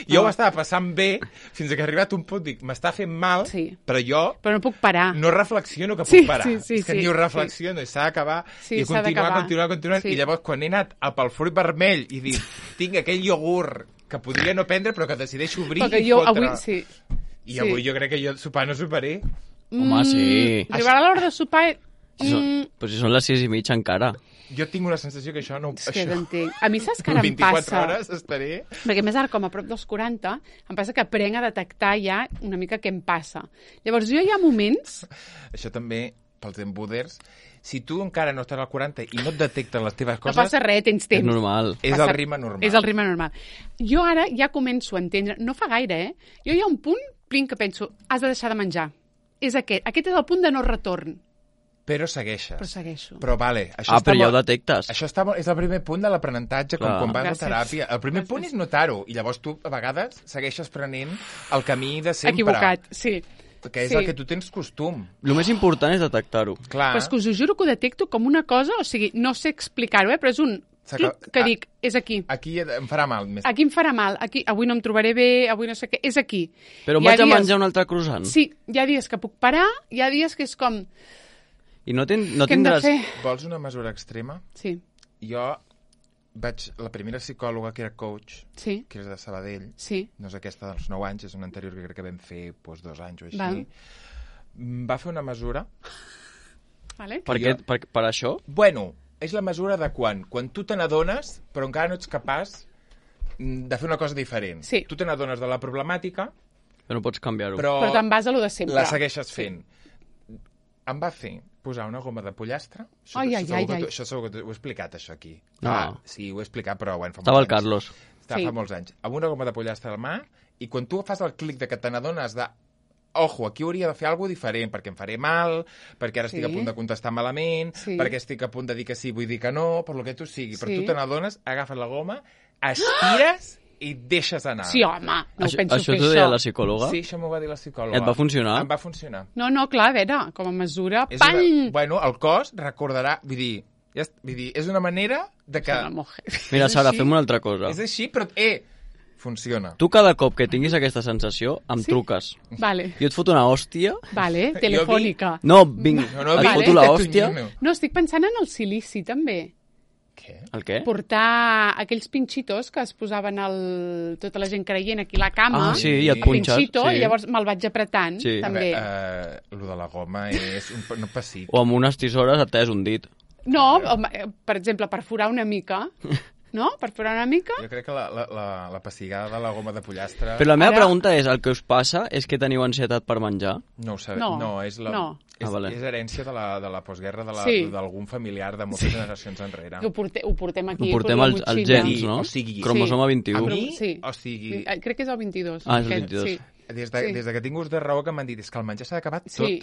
Jo ho estava passant bé fins que he arribat a un punt, dic, m'està fent mal, però jo... Però no puc parar. No reflexiono que puc parar. És que ni ho reflexiono, i s'ha d'acabar, i continuar. I llavors, quan he anat pel fruit vermell i dic, tinc aquell iogurt que podria no prendre, però que decideixo obrir i fotre. I avui jo crec que jo sopar no soparé. Home, sí. Arribarà l'hora de sopar... Però si són les 6:30 encara. Jo tinc una sensació que això no... És que t'entenc. A mi saps que ara em passa... 24 hores estaré... Perquè més ara, com a prop dels 40, em passa que aprenc a detectar ja una mica què em passa. Llavors, jo hi ha moments... Això també, pels embuders, si tu encara no estàs al 40 i no et detecten les teves coses... No passa res, tens temps. És normal. És el ritme normal. És el ritme normal. Jo ara ja començo a entendre... No fa gaire, Jo hi ha un punt, Plin, que penso, has de deixar de menjar. És aquest. Aquest és el punt de no retorn. Però segueixes. Però segueixo. Però vale. Però ja ho detectes. Això és el primer punt de l'aprenentatge, com quan vas a teràpia. El primer punt és notar-ho, i llavors tu, a vegades, segueixes prenent el camí de sempre. Equivocat, sí. Que és el que tu tens costum. El més important és detectar-ho. Clar. Però és que us ho juro que ho detecto com una cosa, o sigui, no sé explicar-ho, però és un clic que dic, és aquí. Aquí em farà mal. Aquí em farà mal, aquí, avui no em trobaré bé, avui no sé què, és aquí. Però em vaig a menjar un altre croissant. Sí, hi ha dies que puc parar, hi ha dies que és com... I no tindràs... Vols una mesura extrema? Sí. Jo vaig... La primera psicòloga que era coach, que és de Sabadell, no és aquesta dels 9 anys, és una anterior que crec que vam fer 2 anys o així, va fer una mesura... Vale. Per això? Bueno, és la mesura de quan tu te n'adones, però encara no ets capaç de fer una cosa diferent. Sí. Tu te n'adones de la problemàtica... Però no pots canviar-ho. Però te'n vas a lo de sempre. La segueixes fent. Em va fer posar una goma de pollastre. Això segur que ho he explicat, això, aquí. No. Sí, ho he explicat, però bueno, Estava el Carlos. Fa molts anys. Amb una goma de pollastre a la mà, i quan tu fas el clic de que te n'adones de ojo, aquí hauria de fer alguna cosa diferent, perquè em faré mal, perquè ara estic a punt de contestar malament, perquè estic a punt de dir que sí, vull dir que no, per lo que tu sigui. Però tu te n'adones, agafes la goma, estires i deixes anar. Sí, home, no ho penso fer això. Això t'ho deia la psicòloga? Sí, això m'ho va dir la psicòloga. Et va funcionar? Em va funcionar. No, clar, a veure, com a mesura, pany! Bueno, el cos recordarà, vull dir, és una manera de que... Mira, Sara, fem una altra cosa. És així, però, funciona. Tu cada cop que tinguis aquesta sensació, em truques. Vale. Jo et foto una hòstia. Vale, telefònica. No, vinc, et foto la hòstia. No, estic pensant en el silici, també. Què? El què? Portar aquells pinxitos que es posaven tota la gent creient aquí a la cama. Ah, sí, i et punxes. Pinxito, i llavors me'l vaig apretant, també. Lo de la goma és un pessic. O amb unes tisores et talles un dit. No, per exemple, perforar una mica... No? Perforar una mica? Jo crec que la pessigada de la goma de pollastre... Però la meva pregunta és, el que us passa és que teniu ansietat per menjar? No ho sabem. No, és herència de la postguerra d'algun familiar de moltes generacions enrere. Ho portem aquí. Ho portem als gens, no? O sigui... Cromosoma 21. A mi, o sigui... Crec que és el 22. Ah, és el 22. Sí. Des de que tinc ús de raó que m'han dit és que el menjar s'ha acabat tot. Sí.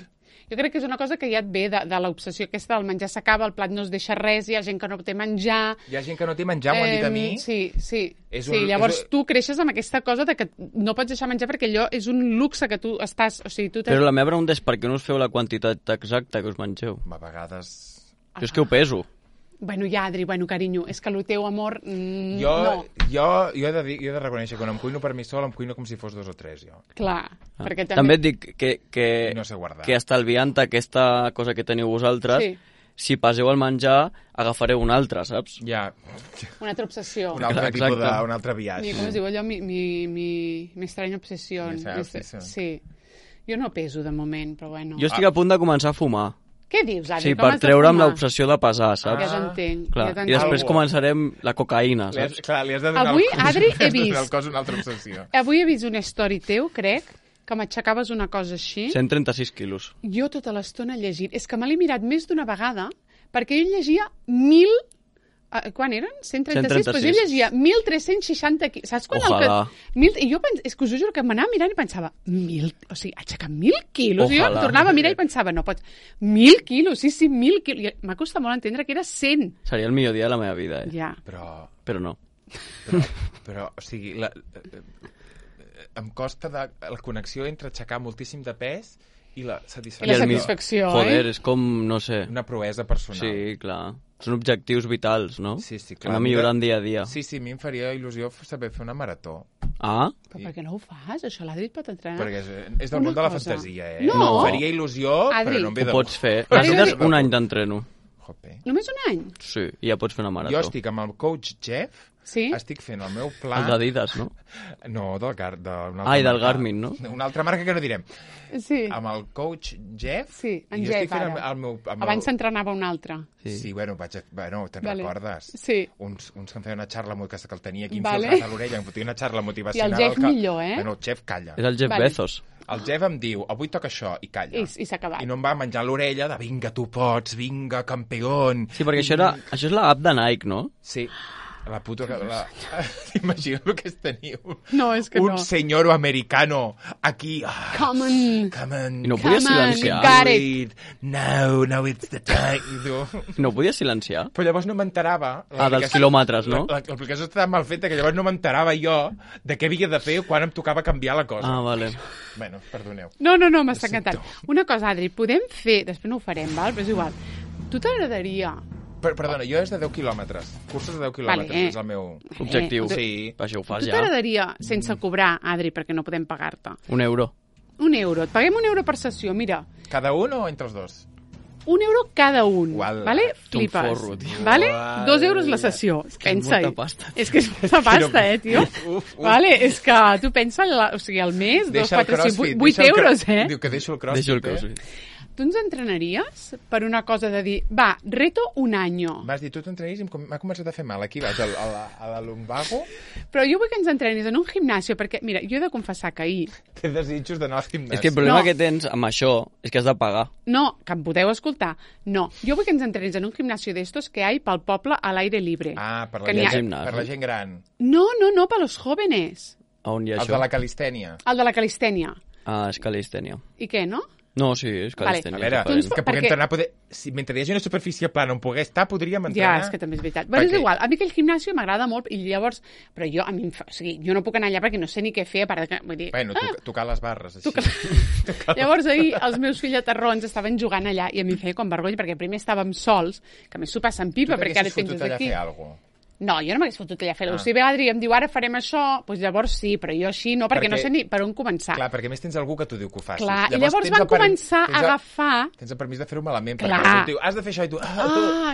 Jo crec que és una cosa que ja et ve de l'obsessió aquesta del menjar s'acaba, el plat no es deixa res, hi ha gent que no té menjar... Hi ha gent que no té menjar, m'ho han dit a mi. Sí. Llavors tu creixes amb aquesta cosa de que no pots deixar menjar perquè allò és un luxe que tu estàs... O sigui, Però la meva pregunta és per què no us feu la quantitat exacta que us mengeu? A vegades... Jo és que ho peso. Bueno, ja, Adri, carinyo, és que el teu amor... Jo he de reconèixer que quan em cuino per mi sol, em cuino com si fos 2 o 3, jo. Clar, perquè també et dic que no sé guardar. Que estalviant aquesta cosa que teniu vosaltres, si passeu al menjar, agafareu un altre, saps? Ja. Una altra obsessió. Un altre viatge. Com es diu allò? Mi estranya obsessió. Sí. Jo no peso de moment, però bueno. Jo estic a punt de començar a fumar. Què dius, Adri? Sí, per treure'm l'obsessió de pesar, saps? Ja t'entenc. I després començarem la cocaïna, saps? Clar, li has de donar avui, Adri, he vist... al cos una altra obsessió. Avui he vist una story teu, crec, que m'aixecaves una cosa així. 136 quilos. Jo tota l'estona llegint. És que me l'he mirat més d'una vegada, perquè jo llegia 1.000... Quan eren? 136? Doncs jo llegia 1.360 quilos. Saps quan I jo és que us ho juro que m'anava mirant i pensava, o sigui, aixecar 1.000 quilos? I jo em tornava a mirar i pensava, no pots... 1.000 quilos, sí, 1.000 quilos. M'ha costat molt entendre que era 100. Seria el millor dia de la meva vida, Ja. Però no. Però, o sigui, em costa la connexió entre aixecar moltíssim de pes i la satisfacció. I la satisfacció, Joder, és com, no sé... Una proesa personal. Sí, clar. Són objectius vitals, no? Sí, clar. Anar millorant dia a dia. Sí, a mi em faria il·lusió saber fer una marató. Ah? Però per què no ho fas? Això l'Adri et pot entrenar. Perquè és del món de la fantasia, No! Em faria il·lusió, però no em ve de... Ho pots fer. Necessites un any d'entreno. Només un any? Sí, i ja pots fer una marató. Jo estic amb el coach Jeff, estic fent el meu pla... El d'Adidas, no? No, del Garmin, no? Una altra marca que no direm. Sí. Amb el coach Jeff... Sí, en Jeff, ara. Abans s'entrenava un altre. Sí, bueno, te'n recordes? Sí. Uns que em feien una xarla que el tenia aquí infiltrat a l'orella, em fotia una xarla motivacional... I el Jeff millor, Bueno, el Jeff calla. És el Jeff Bezos. El Jeff em diu, avui toca això, i calla. I s'ha acabat. I no em va menjar l'orella de vinga, tu pots, vinga, campeón. Sí, perquè això és l'app de Nike, no? Sí. La puta... T'imagines el que és tenir un senyor americano aquí. Come on. I no podia silenciar. Got it. No, it's the time. No podia silenciar? Però llavors no m'enterava. Dels quilòmetres, no? L'aplicació estava mal feta que llavors no m'enterava jo de què havia de fer quan em tocava canviar la cosa. Ah, vale. Bueno, perdoneu. No, m'està encantant. Una cosa, Adri, podem fer... Després no ho farem, val? Però és igual. Tu t'agradaria... Perdona, jo és de 10 quilòmetres. Cursos de 10 quilòmetres és el meu objectiu. Sí. Això ho fas ja. Tu t'agradaria, sense cobrar, Adri, perquè no podem pagar-te? €1. €1. Et paguem €1 per sessió, mira. Cada un o entre els dos? €1 cada un. Uala. Vale? Flipes. Forro, tio. Vale? €2 la sessió. Pensa-hi. És que és molta pasta, tio. Vale? És que tu pensa, o sigui, al mes, 2, 4, 5, 8 euros, Diu que deixo el crossfit. Deixo el crossfit. Tu ens entrenaries per una cosa de dir, va, reto un año. Vas dir, tu t'entrenis i m'ha començat a fer mal. Aquí vaig, a la lumbago. Però jo vull que ens entrenis en un gimnàsio, perquè, mira, jo he de confessar que ahir... Té desitjos d'anar al gimnàsio. És que el problema que tens amb això és que has de pagar. No, que em podeu escoltar. No, jo vull que ens entrenis en un gimnàsio d'estos que hi pel poble a l'aire libre. Ah, per la gent gran. No, per los jóvenes. On hi ha això? El de la calistènia. El de la calistènia. És calistènia. I què, no? No, sí, és calistènia. Vale. A veure, que puguem entrenar... Si mentre hi hagi una superfície plana on poder estar, podríem entrenar... Ja, és que també és veritat. Però és igual, a mi aquell gimnàsio m'agrada molt i llavors... Però jo, jo no puc anar allà perquè no sé ni què fer, a part que... Vull dir... Bueno, tocar les barres, així. Llavors ahir els meus fillaterrons estaven jugant allà i a mi em feia com vergonya perquè primer estàvem sols, que a més s'ho passen pipa perquè ara et penses aquí. Tu t'haguessis fotut allà a fer alguna cosa? No, jo no m'hagués fotut allà a fer-ho. Si ve l'Adri i em diu ara farem això, doncs llavors sí, però jo així no, perquè no sé ni per on començar. Clar, perquè a més tens algú que t'ho diu que ho facis. Clar, i llavors van començar a agafar... Tens el permís de fer-ho malament, perquè algú diu, has de fer això i tu...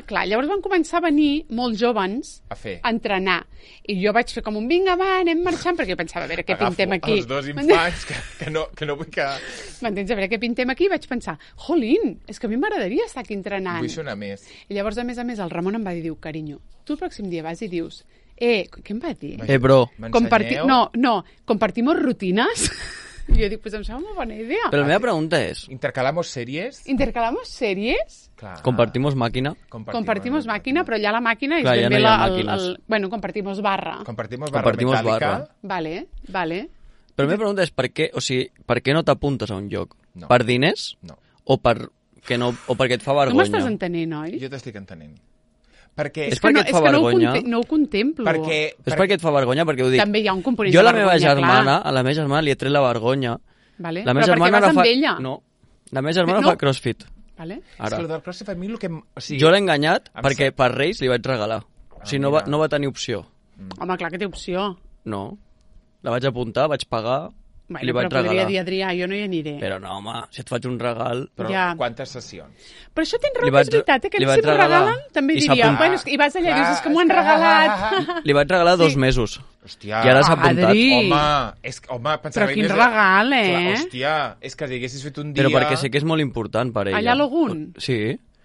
Clar, llavors van començar a venir molts jóvens a entrenar. I jo vaig fer com un vinga, va, anem marxant, perquè jo pensava, a veure què pintem aquí. Agafo els dos infants que no vull que... M'entens? A veure què pintem aquí? Vaig pensar, jolín, és que a mi m'agradaria estar aquí entrenant. Vull sonar més. I llavors, a més, el Ramon em va dir, carinyo, tu el pròxim dia vas i dius, què em va dir? Bro. No, compartimos rutinas. I jo dic, pues em sembla una bona idea. Però la meva pregunta és... ¿Intercalamos series? ¿Intercalamos series? Clar. ¿Compartimos máquina? Compartimos máquina, però ja la màquina és ben bé bueno, compartimos barra. Compartimos barra metàl·lica. Vale. Però la meva pregunta és per què no t'apuntes a un lloc? No. Per diners? No. O perquè et fa vergonya? Tu m'estàs entenent, oi? Jo t'estic entenent. Perquè... És perquè et fa vergonya. No ho contemplo. És perquè et fa vergonya, perquè ho dic. També hi ha un component de vergonya, a la meva germana li he tret la vergonya. Vale. La meva però perquè vas amb ella. No, la meva germana fa crossfit. Vale. Ara. És que el del crossfit a mi el que... Jo l'he enganyat perquè per Reis li vaig regalar. O sigui, no va tenir opció. Home, clar que té opció. No. La vaig apuntar, vaig pagar... Bueno, li vaig però podria dir, Adrià, jo no hi aniré. Però no, home, si et faig un regal... Però quantes sessions? Però això tens raó, és veritat, que si m'ho regalen també diria, bueno, i vas allà i dius, és que m'ho han regalat. Li vaig regalar 2 mesos. Hòstia, i ara s'ha apuntat. Home, però quin regal, Hòstia, és que si haguessis fet un dia... Però perquè sé que és molt important per ella. Allà a l'Ogun? Sí.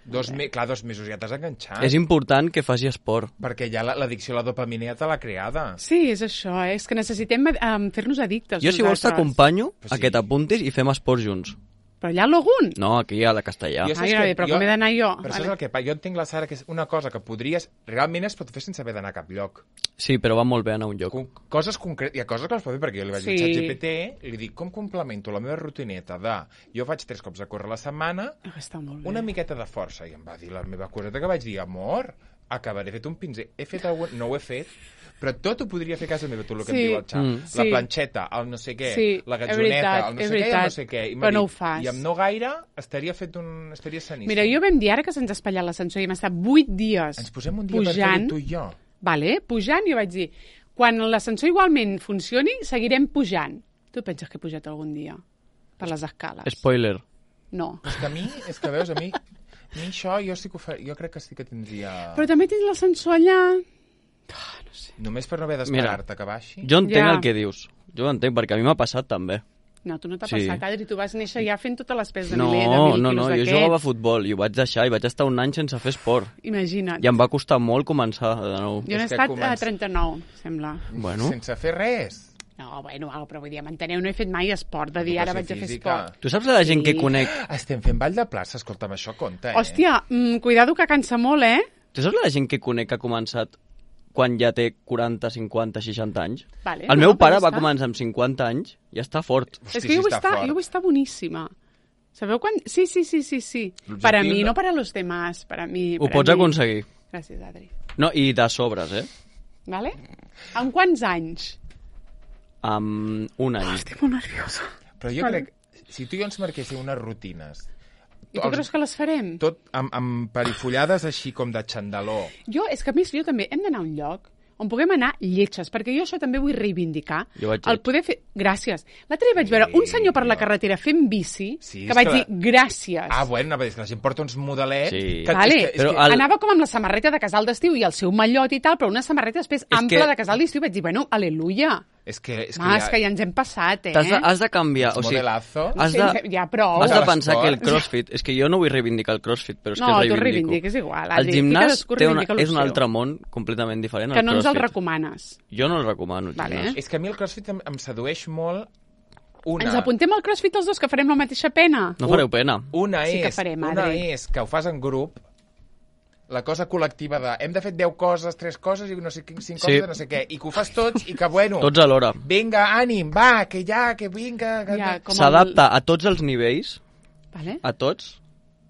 Clar, 2 mesos ja t'has enganxat. És important que faci esport. Perquè ja l'addicció a la dopamina ja te l'ha creada. Sí, és això, és que necessitem fer-nos addictes. Jo, si vols, t'acompanyo a que t'apuntis i fem esport junts. Però allà a l'Ogun? No, aquí a la Castellà. Però com he d'anar jo? Però això és el que jo entenc, la Sara, que és una cosa que podries... Realment es pot fer sense haver d'anar a cap lloc. Sí, però va molt bé anar a un lloc. Coses concretes, hi ha coses que les pot fer, perquè jo li vaig dir a ChatGPT i li dic, com complemento la meva rutineta de... Jo faig 3 cops a córrer a la setmana, una miqueta de força. I em va dir la meva coseta que vaig dir, amor, acabaré fet un pinzell. He fet alguna... No ho he fet, però tot ho podria fer a casa meva, tot el que em diu el xat. La planxeta, el no sé què, la gatjoneta, el no sé què i el no sé què. Però no ho fas. I amb no gaire estaria saníssim. Mira, jo vam dir ara que se'ns ha espatllat l'ascensor i hem estat 8 dies ens posem un dia per fer-ho tu i jo. Vale, pujant, jo vaig dir, quan l'ascensor igualment funcioni, seguirem pujant. Tu penses que he pujat algun dia? Per les escales. Spoiler. No. És que veus, a mi això jo sí que ho faria, jo crec que sí que tindria... Però també tens l'ascensor allà... no sé. Només per no haver d'esperar-te que baixi? Jo entenc el que dius. Jo ho entenc, perquè a mi m'ha passat també. No, tu no t'ha passat, Adri, tu vas néixer ja fent totes les peces de No, jo jugava a futbol i ho vaig deixar i vaig estar un any sense fer esport. Imagina't. I em va costar molt començar de nou. Jo n'he estat a 39, sembla. Bueno. Sense fer res. No, bueno, però vull dir, m'enteneu, no he fet mai esport, de dir ara vaig a fer esport. Tu saps la gent que conec... Estem fent ball de plaça, escolta'm, això compta, Hòstia, cuidado que cansa molt, Tu saps la gent que conec que ha començat quan ja té 40, 50, 60 anys? Vale, el meu pare va començar amb 50 anys i està fort. És que jo vull estar boníssima. Sabeu quan? Sí. Per a mi, no per a los demás. Per a mi. Ho pots aconseguir. Gràcies, Adri. No, i de sobres, Vale? Amb quants anys? Amb un any. Estic molt nerviosa. Però jo crec, si tu i jo ens marquéssim unes rutines... I tu creus que les farem? Tot amb perifollades així com de xandaló. És que a més jo també hem d'anar a un lloc on puguem anar lletges, perquè jo això també vull reivindicar. El poder fer... Gràcies. L'altre dia vaig veure un senyor per la carretera fent bici, que vaig dir gràcies. Bueno, anava a dir que la gent porta uns modelets... Sí. Anava com amb la samarreta de casal d'estiu i el seu mallot i tal, però una samarreta després ampla de casal d'estiu. Vaig dir, bueno, aleluia. És que ja ens hem passat, Has de canviar, o sigui... Ja, prou. Has de pensar que el crossfit... És que jo no vull reivindicar el crossfit, però és que el reivindico. No, tu reivindiques igual. El gimnàs és un altre món completament diferent al crossfit. Que no ens el recomanes. Jo no el recomano, el gimnàs. És que a mi el crossfit em sedueix molt... Ens apuntem al crossfit els dos, que farem la mateixa pena. No fareu pena. Una és que ho fas en grup, la cosa col·lectiva de hem de fer 10 coses, 3 coses i no sé 5 coses de no sé què, i que ho fas tots i que, bueno... Tots alhora. Vinga, ànim, va, que vinga... S'adapta a tots els nivells, vale. A tots.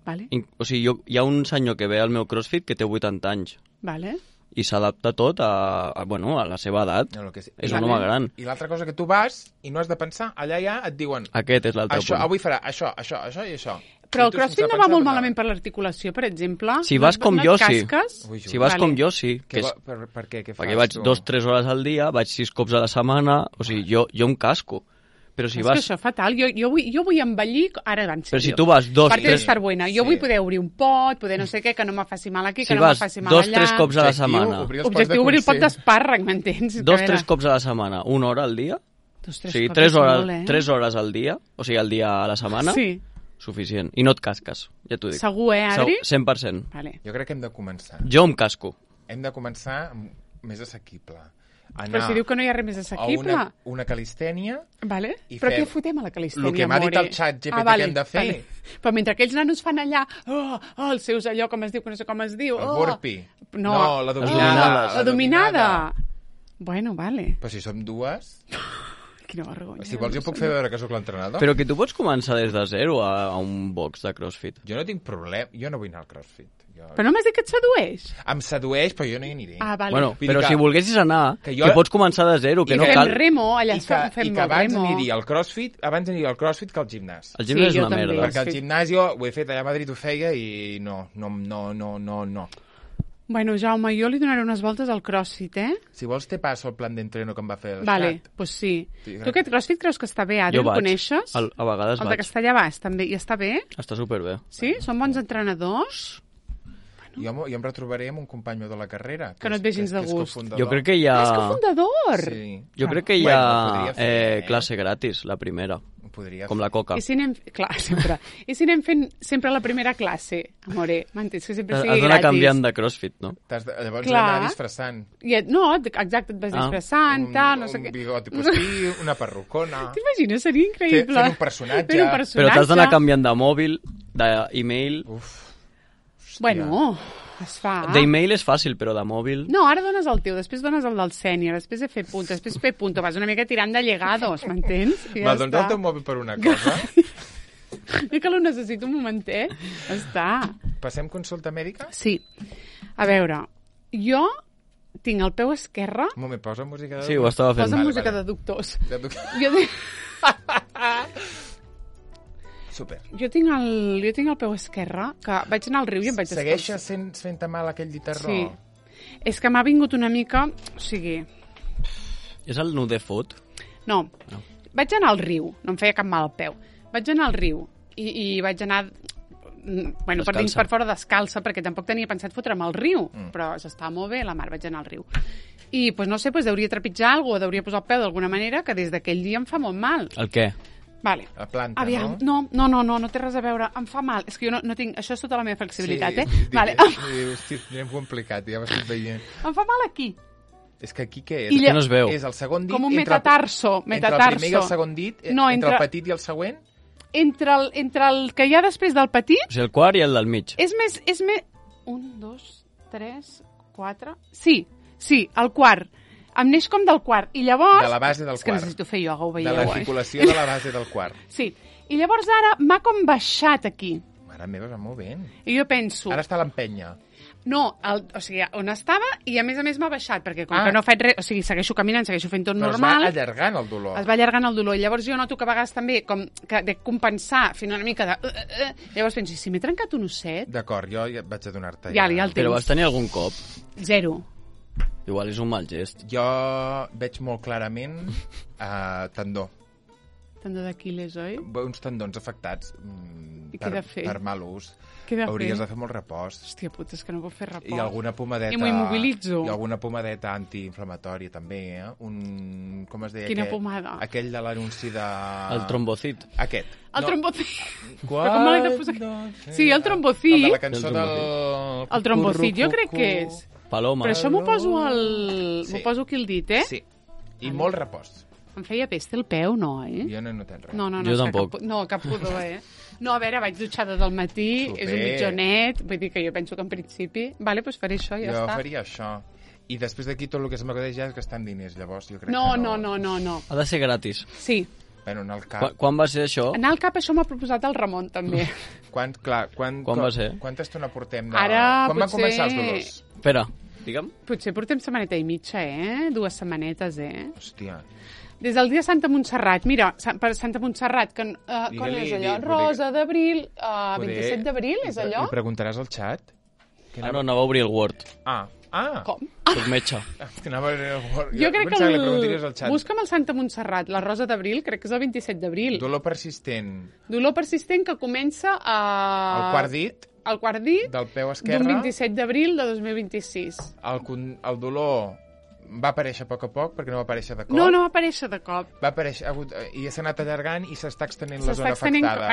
Vale. O sigui, hi ha un senyor que ve al meu CrossFit que té 80 anys. Vale. I s'adapta tot a la seva edat. No, és un home gran. I l'altra cosa que tu vas i no has de pensar, allà ja et diuen... Aquest és l'altre punt. Avui farà això i això. Però el CrossFit no va molt malament per l'articulació, per exemple? Si vas com jo, sí. Si vas com jo, sí. Per què? Què fas? Perquè vaig 2-3 hores al dia, vaig 6 cops a la setmana, o sigui, jo em casco. Però si vas... És que això és fatal. Jo vull envellir... Ara van ser Però si tu vas 2-3... Parte d'estar buena. Jo vull poder obrir un pot, poder no sé què, que no me faci mal aquí, que no me faci mal allà. Si vas 2-3 cops a la setmana... Objectiu obrir el pot d'espàrrec, m'entens? 2-3 cops a la setmana, 1 hora al dia? O sigui, 3 hores al dia, o sigui, al dia a la setmana? Sí. Suficient. I no et casques, ja t'ho dic. Segur, Adri? 100%. Vale. Jo crec que hem de començar. Jo em casco. Hem de començar més assequible. Però si diu que no hi ha res més assequible. Una calistènia. Vale. Però què fotem a la calistènia, el que m'ha dit el xat GPT que hem de fer. Vale. Però mentre aquells nanos fan allà, els seus allò, com es diu, que no sé com es diu. El burpee. No, la dominada. La dominada. Bueno, vale. Però si som dues... Quina vergonya. Si vols jo puc fer veure que sóc l'entrenador. Però que tu pots començar des de zero a un box de CrossFit. Jo no tinc problema, jo no vull anar al CrossFit. Però no m'has dit que et sedueix? Em sedueix, però jo no hi aniré. Ah, vale. Bueno, però si volguessis anar, que pots començar de zero, que no cal... I fem remo, allà fem remo. I que abans aniria al CrossFit que al gimnàs. El gimnàs és una merda. Perquè al gimnàs jo ho he fet, allà a Madrid ho feia i no. Bueno, Jaume, jo li donaré unes voltes al CrossFit, Si vols te passo el plan d'entreno que em va fer el Vale, xat. Pues sí. Tu aquest CrossFit creus que està bé, Adri? El coneixes? A vegades vaig. El de Castellabàs, també. I està bé? Està superbé. Sí? Són bons entrenadors? Jo em retrobaré amb un company meu de la carrera. Que no et ve gens de gust. Jo crec que hi ha... És cofundador! Sí. Jo crec que hi ha classe gratis, la primera. Com la coca. I si anem... Clar, sempre. I si anem fent sempre la primera classe, amore? M'entens? Que sempre sigui gratis. Has d'anar canviant de CrossFit, no? Llavors d'anar disfressant. No, exacte, et vas disfressant, tal, no sé què. Un bigoti postí, una perrucona... T'imagines? Seria increïble. Fent un personatge. Però t'has d'anar canviant de mòbil, d'email... Bueno, es fa. D'email és fàcil, però de mòbil... No, ara dones el teu, després dones el del sènior, després de fer punto, després fer punto, vas una mica tirant de llegados, m'entens? Va, doncs el teu mòbil per una cosa. I que lo necessito un momentet. Està. Passem consulta mèdica? Sí. A veure, jo tinc el peu esquerre... Un moment, posa música de... Sí, ho estava fent. Posa música de doctors. Jo Super. Jo tinc el peu esquerre, que vaig anar al riu i em vaig descalçar. Segueixes fent-te mal aquell guitarró? Sí. És que m'ha vingut una mica... O sigui... És el nude foot? No. Vaig anar al riu, no em feia cap mal al peu. Vaig anar al riu i vaig anar... Bueno, per dins per fora descalça, perquè tampoc tenia pensat fotre'm al riu, però s'estava molt bé la mar, vaig anar al riu. I, pues, no sé, pues, deuria trepitjar alguna cosa, deuria posar el peu d'alguna manera, que des d'aquell dia em fa molt mal. El què? Vale. La planta, aviam, no té res a veure. Em fa mal. És que jo no tinc... Això és tota la meva flexibilitat, Vale. Hosti, anem complicat, ja m'estic veient. Em fa mal aquí. És que aquí què és? Que no es veu. És el segon dit... Com un metatarso. Entre el primer i el segon dit? No, entre el petit i el següent? Entre el que hi ha després del petit... O sigui, el quart i el del mig. És més... 1, 2, 3, 4... Sí, el quart. Em neix com del quart. I llavors... De la base del quart. És que necessito fer ioga, ho veieu, De l'articulació de la base del quart. Sí. I llavors ara m'ha com baixat aquí. Mare meva, va molt bé. I jo penso... Ara està a l'empenya. No, o sigui, on estava i a més m'ha baixat, perquè com que no faig res... O sigui, segueixo caminant, segueixo fent tot normal... Però es va allargant el dolor. Es va allargant el dolor. I llavors jo noto que a vegades també com que de compensar, fent una mica de... Llavors penso, si m'he trencat un osset... D'acord, jo ja vaig a donar-te... Ja el tens. Però vas tenir algun cop? 0. Igual és un mal gest. Jo veig molt clarament tendó. Tendó d'Aquiles, oi? Uns tendons afectats per mal ús. Hauries de fer molt repòs. Hòstia puta, és que no puc fer repòs. I alguna pomadeta... I m'ho immobilitzo. I alguna pomadeta antiinflamatòria, també, com es deia? Quina pomada? Aquell de l'anunci de... El trombocit. Aquest. El trombocit. Però com me l'he de posar? Sí, el trombocit. El de la cançó del... El trombocit, jo crec que és. Paloma. Però això m'ho poso aquí al dit, Sí. I molt repòs. Em feia pesta el peu, no, Jo no he notat res. No, jo tampoc. Cap pudor, No, a veure, vaig dutxada del matí, és un mitjonet, vull dir que jo penso que en principi... Vale, doncs faré això, ja està. Jo faria això. I després d'aquí tot el que es m'acudeix ja és gastar diners, llavors jo crec que no. Ha de ser gratis. Sí. Bueno, anar al CAP... Quan va ser això? Anar al CAP, això m'ha proposat el Ramon, també. Quan va ser? Quanta estona portem de... Ara, quan van començar els dolors? Espera, digue'm. Potser portem setmaneta i mitja, 2 setmanetes, Hòstia. Des del dia Santa Montserrat. Mira, per Santa Montserrat, quan és allò? Rosa d'Abril, 27 d'abril, és allò? Li preguntaràs al xat? No, anava a obrir el Word. Com? Soc metge. Jo crec que busca'm el Santa Montserrat, la Rosa d'Abril, crec que és el 27 d'abril. Dolor persistent. Dolor persistent que comença al quart dit. Al quart dit del peu esquerre. D'un 27 d'abril de 2026. El dolor va aparèixer a poc, perquè no va aparèixer de cop. No va aparèixer de cop. Va aparèixer, i s'ha anat allargant i s'està extenent la zona afectada.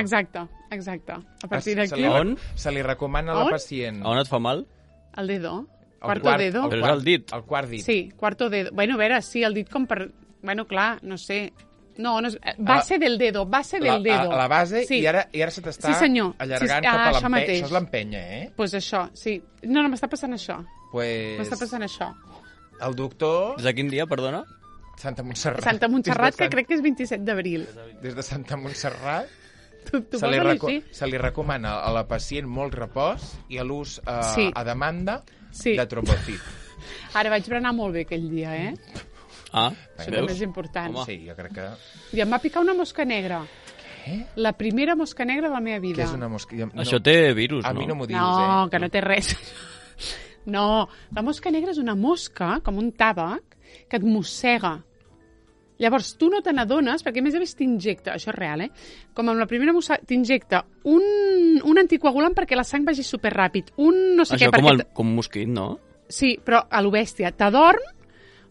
Exacte. A partir d'aquí... Se li recomana a la pacient. On et fa mal? El dedo. Quarto dedo. Però és el dit. El quart dit. Sí, quarto dedo. Bueno, a veure, sí, el dit com per... Bueno, clar, no sé... No és... Base del dedo. A la base, sí. I ara se t'està allargant cap a l'empenya. Això és l'empenya, Pues això, sí. No, m'està passant això. M'està passant això. El doctor... Des de quin dia, perdona? Santa Montserrat. Santa Montserrat, que crec que és 27 d'abril. Des de Santa Montserrat se li recomana a la pacient molt repòs i a l'ús a demanda de trombocit. Ara vaig berenar molt bé aquell dia, Això també és important. Sí, jo crec que... I em va picar una mosca negra. Què? La primera mosca negra de la meva vida. Què és una mosca? Això té virus, no? A mi no m'ho dius, No, que no té res. No, la mosca negra és una mosca, com un tàbac, que et mossega. Llavors, tu no te n'adones, perquè a més a més t'injecta, això és real, com amb la primera mosca, t'injecta un anticoagulant perquè la sang vagi superràpid, no sé això què... com un mosquit, no? Sí, però a lo bèstia, t'adorm,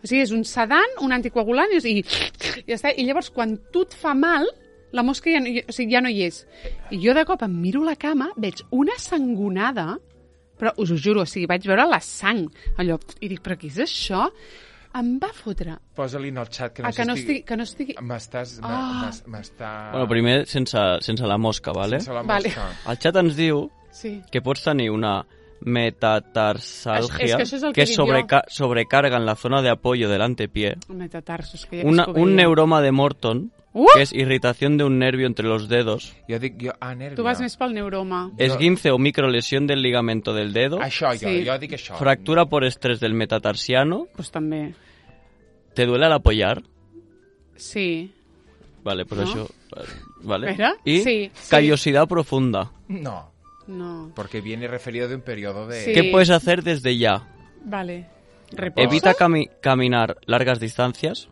o sigui, és un sedant, un anticoagulant, i ja està. I llavors, quan tu et fa mal, la mosca ja no hi és. I jo de cop em miro la cama, veig una sangonada, però us ho juro, vaig veure la sang, allò, i dic, però què és això? Em va fotre. Posa-li en el xat que no estigui... M'està... Bueno, primer sense la mosca, vale? Sense la mosca. El xat ens diu que pots tenir una metatarsalgia que sobrecarga en la zona de apoyo del antepié. Metatarsos, que un neuroma de Morton, que es irritación de un nervio entre los dedos. Nervio. Tu vas més pel neuroma. Esguince o microlesión del ligamento del dedo. Això, jo dic això. Fractura por estrés del metatarsiano. Pues també. ¿Te duele al apoyar? Sí. Vale, pues eso. Vale. ¿Espera? Y callosidad profunda. No. Porque viene referido de un periodo de... ¿Qué puedes hacer desde ya? Vale. ¿Reposa? Evita caminar largas distancias.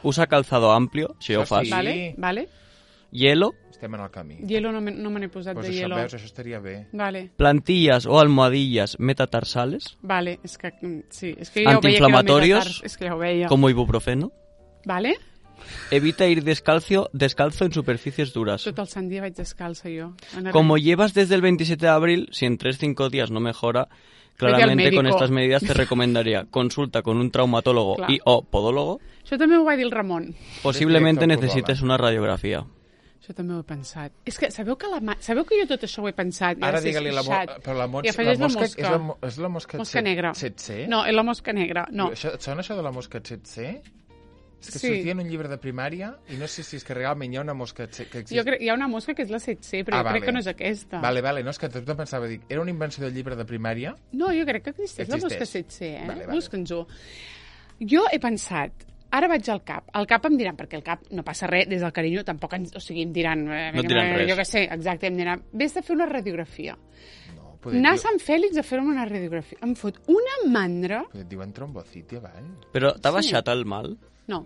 Usa calzado amplio, si ho fas. Vale. Hielo. Estem en el camí. Hielo no me n'he posat de hielo. Veus, això estaria bé. Vale. Plantillas o almohadillas metatarsales. Vale, és que sí. És que ja antiinflamatorios, és que ja ho veia. Como ibuprofeno. Vale. Evita ir descalzo en superficies duras. Tot el sant dia vaig descalça jo. Como llevas desde el 27 de abril, si en 3-5 días no mejora, claramente con estas medidas te recomendaría consulta con un traumatólogo y o podólogo. Això també ho va dir el Ramon. Posiblemente necesites una radiografia. Això també ho he pensat. És que sabeu que jo tot això ho he pensat? Ara digue-li però la mosca és la mosca negra. tsetse? No, és la mosca negra. No. Et sona això de la mosca tsetse? És que sortia en un llibre de primària i no sé si és que realment hi ha una mosca que existe. Hi ha una mosca que és la 7C, però jo crec que no és aquesta. Vale, no, és que tot pensava, era una invenció del llibre de primària? No, jo crec que existeix la mosca 7C, Busca'ns-ho. Jo he pensat, ara vaig al CAP. Al CAP em diran, perquè el CAP no passa res, des del carinyo tampoc em diran... No et diran res. Jo què sé, exacte, em diran, vés a fer una radiografia. Anar a Sant Fèlix a fer-me una radiografia. Em fot una mandra... Et diuen trombociti avall. Però t'ha baixat el mal? No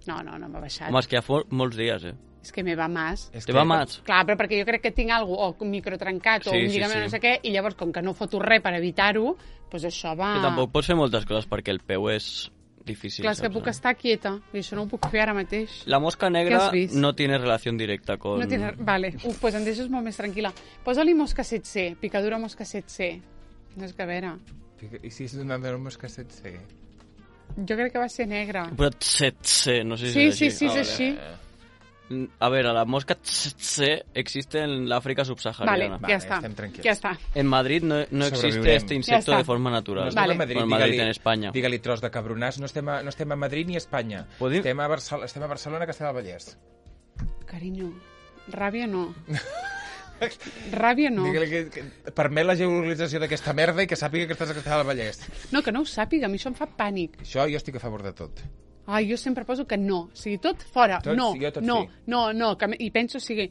m'ha baixat. Home, és que ja fa molts dies, És que me va más. Te va más? Clar, però perquè jo crec que tinc alguna cosa, o un microtrencat, o un lligament, no sé què, i llavors, com que no foto res per evitar-ho, doncs això va... Que tampoc pots fer moltes coses perquè el peu és difícil. Clar, és que puc estar quieta, i això no ho puc fer ara mateix. La mosca negra no tiene relación directa con... No tiene... Vale, pues em deixes molt més tranquil·la. Posa-li mosca 7C, picadura mosca 7C. No és que a veure... I si és una mosca 7C? Jo crec que va ser negre. Però tsetse, no sé si és així. Sí, és així. A ver, la mosca tsetse existe en l'Àfrica subsahariana. Vale, ya está. En Madrid no existe este insecto de forma natural. No estem a Madrid, en Madrid, en Espanya. Digue-li tros de cabronàs, no estem a Madrid ni a Espanya. Estem a Barcelona, Castellar del Vallès. Carinyo, ràbia no. Ràbia no. Digue-li que permet la geolocalització d'aquesta merda i que sàpiga que estàs a Castellar del Vallès. No, que no ho sàpiga, a mi això em fa pànic. Això jo estic a favor de tot. Ai, jo sempre poso que no. O sigui, tot fora. Tot, no, sí, jo tot no, sí. no. I penso, o sigui...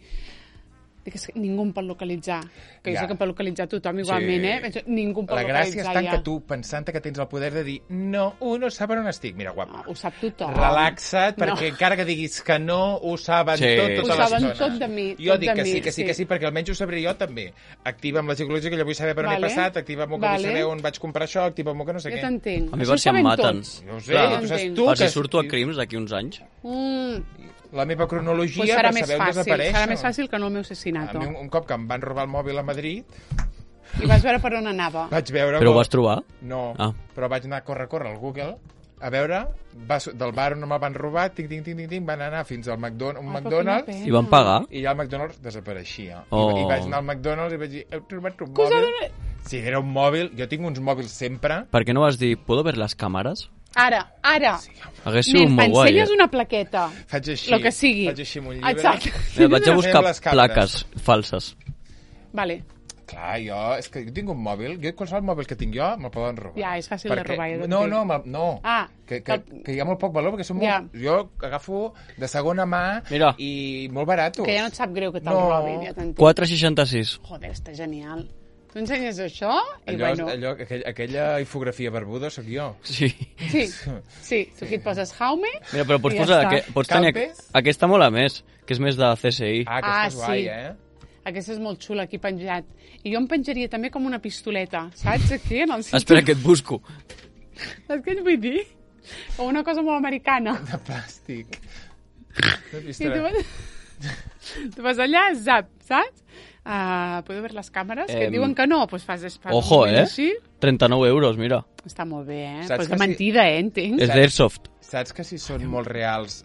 que ningú em pot localitzar. Que jo sé que em pot localitzar tothom igualment, sí. Penso, ningú em pot localitzar. La gràcia està en que tu, pensant que tens el poder de dir no, no sap on estic. Mira, guapa. Ho sap tothom. Relaxa't, perquè encara que diguis que no, ho saben tota l'estona. Ho saben tot de mi. Jo dic que sí, perquè almenys ho sabré jo també. Activa'm la geologia, que jo vull saber per on he passat, activa'm que vull saber on vaig comprar això, activa'm que no sé què. Jo t'entenc. A mi per si em maten. No ho sé, tu per si surto a crims d'aquí uns anys. La meva cronologia per saber on desapareix. Serà més fàcil que no el meu assassinato. A mi un cop que em van robar el mòbil a Madrid... I vas veure per on anava. Però ho vas trobar? No, però vaig anar a córrer al Google a veure, del bar on me'l van robar, van anar fins al McDonald's i van pagar. I ja el McDonald's desapareixia. I vaig anar al McDonald's i vaig dir, heu trobat un mòbil? Sí, era un mòbil, jo tinc uns mòbils sempre. Per què no vas dir, ¿puedo ver las cámaras? Ara. Hagués sigut molt guai. Ensenyes una plaqueta. Faig així. Lo que sigui. Faig així amb un llibre. Exacte. Vaig a buscar plaques falses. Vale. Clar, és que jo tinc un mòbil, qualsevol mòbil que tinc jo me'l poden robar. Ja, és fàcil de robar. No. Que hi ha molt poc valor, perquè són molt... Jo agafo de segona mà i molt baratos. Que ja no et sap greu que te'l robin. 4,66. Joder, està genial. Tu ensenyes això i bueno... Aquella infografia barbuda sóc jo. Sí. Tu aquí et poses Jaume. Mira, però pots tenir aquesta molt a més, que és més de CSI. Aquesta és guai, Aquesta és molt xula, aquí penjat. I jo em penjaria també com una pistoleta, saps? Aquí, en el cinturó. Espera, que et busco. Saps què et vull dir? Com una cosa molt americana. De plàstic. Tu vas allà, zap, saps? ¿Puedo ver les càmeres? Que diuen que no, doncs fas ojo, així. 39 euros, mira. Està molt bé, Pues de mentida, entenc. És d'Airsoft. Saps que si són molt reals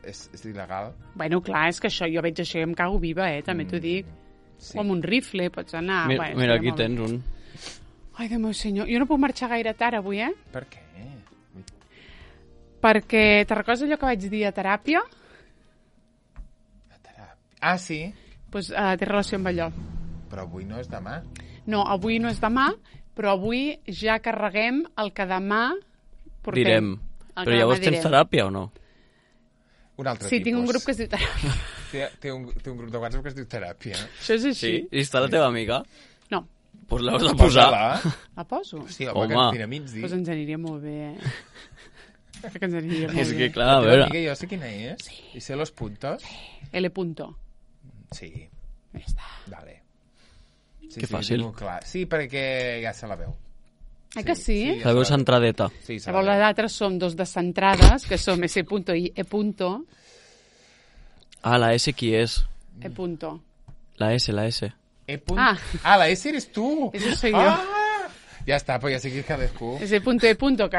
és il·legal? Bueno, clar, és que això, jo veig això i em cago viva, també t'ho dic. O amb un rifle pots anar. Mira, aquí tens un. Ai, Déu meu senyor, jo no puc marxar gaire tard avui, Per què? Perquè te'n recordes allò que vaig dir a teràpia? Ah, sí? Doncs té relació amb allò. Però avui no és demà. No, avui no és demà, però avui ja carreguem el que demà portem. Direm. Però llavors tens teràpia o no? Un altre tipus. Sí, tinc un grup que es diu teràpia. Té un grup de WhatsApp que es diu teràpia. Això és així. Sí? I està la teva amiga? No. Doncs l'haus de posar. La poso? Sí, home. Doncs ens aniria molt bé, Crec que ens aniria molt bé. És que, clar, a veure... Amiga, jo sé quina és. Sí. I sé los puntos. L punto. Sí. Ja està. Vale. Que fàcil. Sí, perquè ja se la veu. Que sí? La veu centradeta. Sí, llavors les altres som dos descentrades, que som S punto i E punto. Ah, la S qui és? E punto. La S. E punto. La S eres tú. Eso soy yo. Ya está, pues ya sé que es cadascú. Ese punto E punto, que